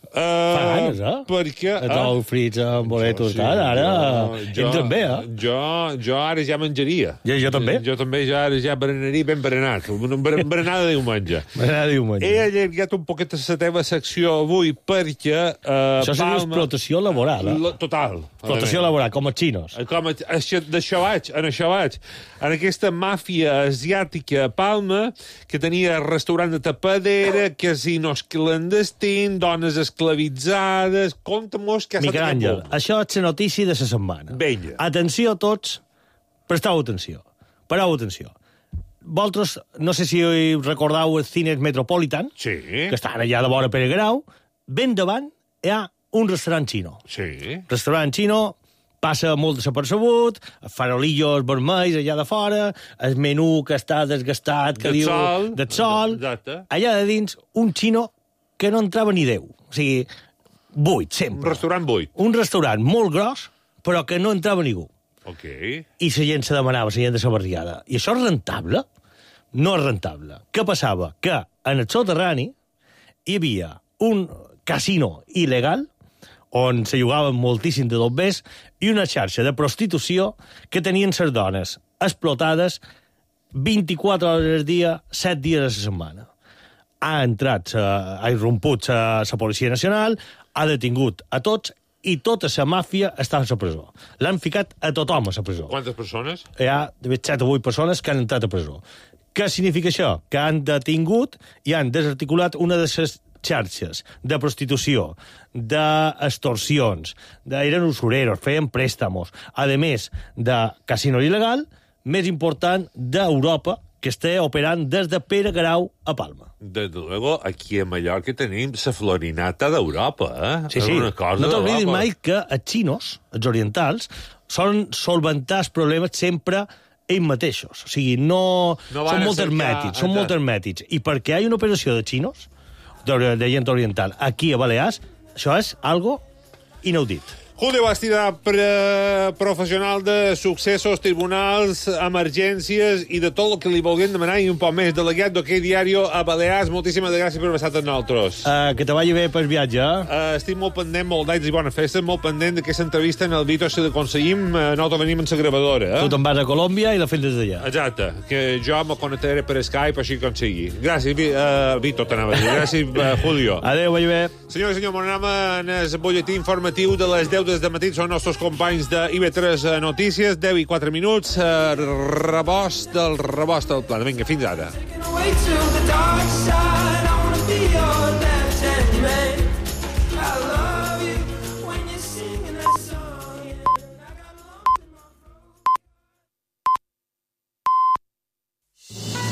Speaker 15: Uh, Fa anys, eh?
Speaker 4: Perquè...
Speaker 15: Els ous frits amb boletos, sí, ara, ara
Speaker 4: jo,
Speaker 15: entren bé, eh?
Speaker 4: Jo, jo ara ja menjaria.
Speaker 15: Jo, jo també.
Speaker 4: Jo, jo també ja ara ja berenaria ben berenat. Una berenada de diumenge.
Speaker 15: Berenada de diumenge.
Speaker 4: He allargat un poquet la teva secció avui perquè... Uh,
Speaker 15: Això seria explotació laboral, eh?
Speaker 4: Total.
Speaker 15: Explotació laboral, com els xinos.
Speaker 4: Com a, això, d'això vaig, en això vaig. En aquesta màfia asiàtica a Palma, que tenia restaurant de tapadera, casinos clandestins, dones esclavitzades... Compte-mos que ha estat...
Speaker 15: Miquel Àngel, això és la notícia de la setmana.
Speaker 4: Vinga.
Speaker 15: Atenció a tots, presteu atenció. Pareu atenció. Vosaltres, no sé si recordeu els cines Metropolitan,
Speaker 4: sí,
Speaker 15: que estan allà de vora Pere Grau, ben davant hi ha un restaurant xino.
Speaker 4: Sí.
Speaker 15: Restaurant xino, passa molt desapercebut, farolillos vermells allà de fora, el menú que està desgastat, que
Speaker 4: de
Speaker 15: diu...
Speaker 4: Sol.
Speaker 15: De sol.
Speaker 4: Exacte.
Speaker 15: Allà de dins, un xino que no entrava ni Déu. O sigui, buit, sempre.
Speaker 4: Un restaurant buit.
Speaker 15: Un restaurant molt gros, però que no entrava ningú.
Speaker 4: Ok.
Speaker 15: I la gent se demanava, la gent de la barriada. I això és rentable? No és rentable. Què passava? Que en el soterrani hi havia un casino il·legal on se jugaven moltíssim de dobbers i una xarxa de prostitució que tenien les dones explotades vint-i-quatre hores al dia, set dies a la setmana. Ha entrat, ha irromput la Policia Nacional, ha detingut a tots i tota la màfia està a la presó. L'han ficat a tothom a la presó.
Speaker 4: Quantes persones?
Speaker 15: Hi ha set o vuit persones que han entrat a presó. Què significa això? Que han detingut i han desarticulat una de les xarxes de prostitució, d'extorsions, d'eren usureros, feien préstamos, a més de casino il·legal, més important d'Europa, que està operant des de Pere Grau a Palma.
Speaker 4: Desde luego, aquí a Mallorca tenim la florinata d'Europa, eh?
Speaker 15: Sí, sí.
Speaker 4: Una cosa
Speaker 15: no t'oblidis
Speaker 4: d'Europa.
Speaker 15: mai que els xinos, els orientals, solen solventar els problemes sempre ells mateixos. O sigui, no...
Speaker 4: No van
Speaker 15: són
Speaker 4: a
Speaker 15: molt
Speaker 4: cercar-
Speaker 15: hermètics, són
Speaker 4: Exacte.
Speaker 15: molt hermètics. I perquè hi ha una operació de xinos, de, de gent oriental, aquí a Balears, això és algo inaudit.
Speaker 4: Julio Bastida, pre professional de successos, tribunals, emergències i de tot el que li vulguem demanar i un poc més. Delegat d'Hockey Diario a Balears, moltíssimes gràcies per haver estat amb nosaltres.
Speaker 15: Uh, que te vagi bé pel viatge.
Speaker 4: Uh, estic molt pendent, molt d'anys i bona festa, molt pendent d'aquesta entrevista en el Vito, si l'aconseguim, uh, nosaltres venim en la gravadora. Eh?
Speaker 15: Tu te'n vas a Colòmbia i la fem des d'allà.
Speaker 4: Exacte, que jo me connectaré per Skype, així que consegui. Gràcies, Vi uh, Vito, t'anava a dir. Gràcies, uh, Julio.
Speaker 15: Adéu, vagi bé.
Speaker 4: Senyor i senyor, bon anem en el butlletí informatiu de les deu de matí. Són nostres companys de I V tres Notícies. deu i quatre minuts. Uh, rebost del rebost del pla. Vinga, fins ara.
Speaker 6: Way to the dark side.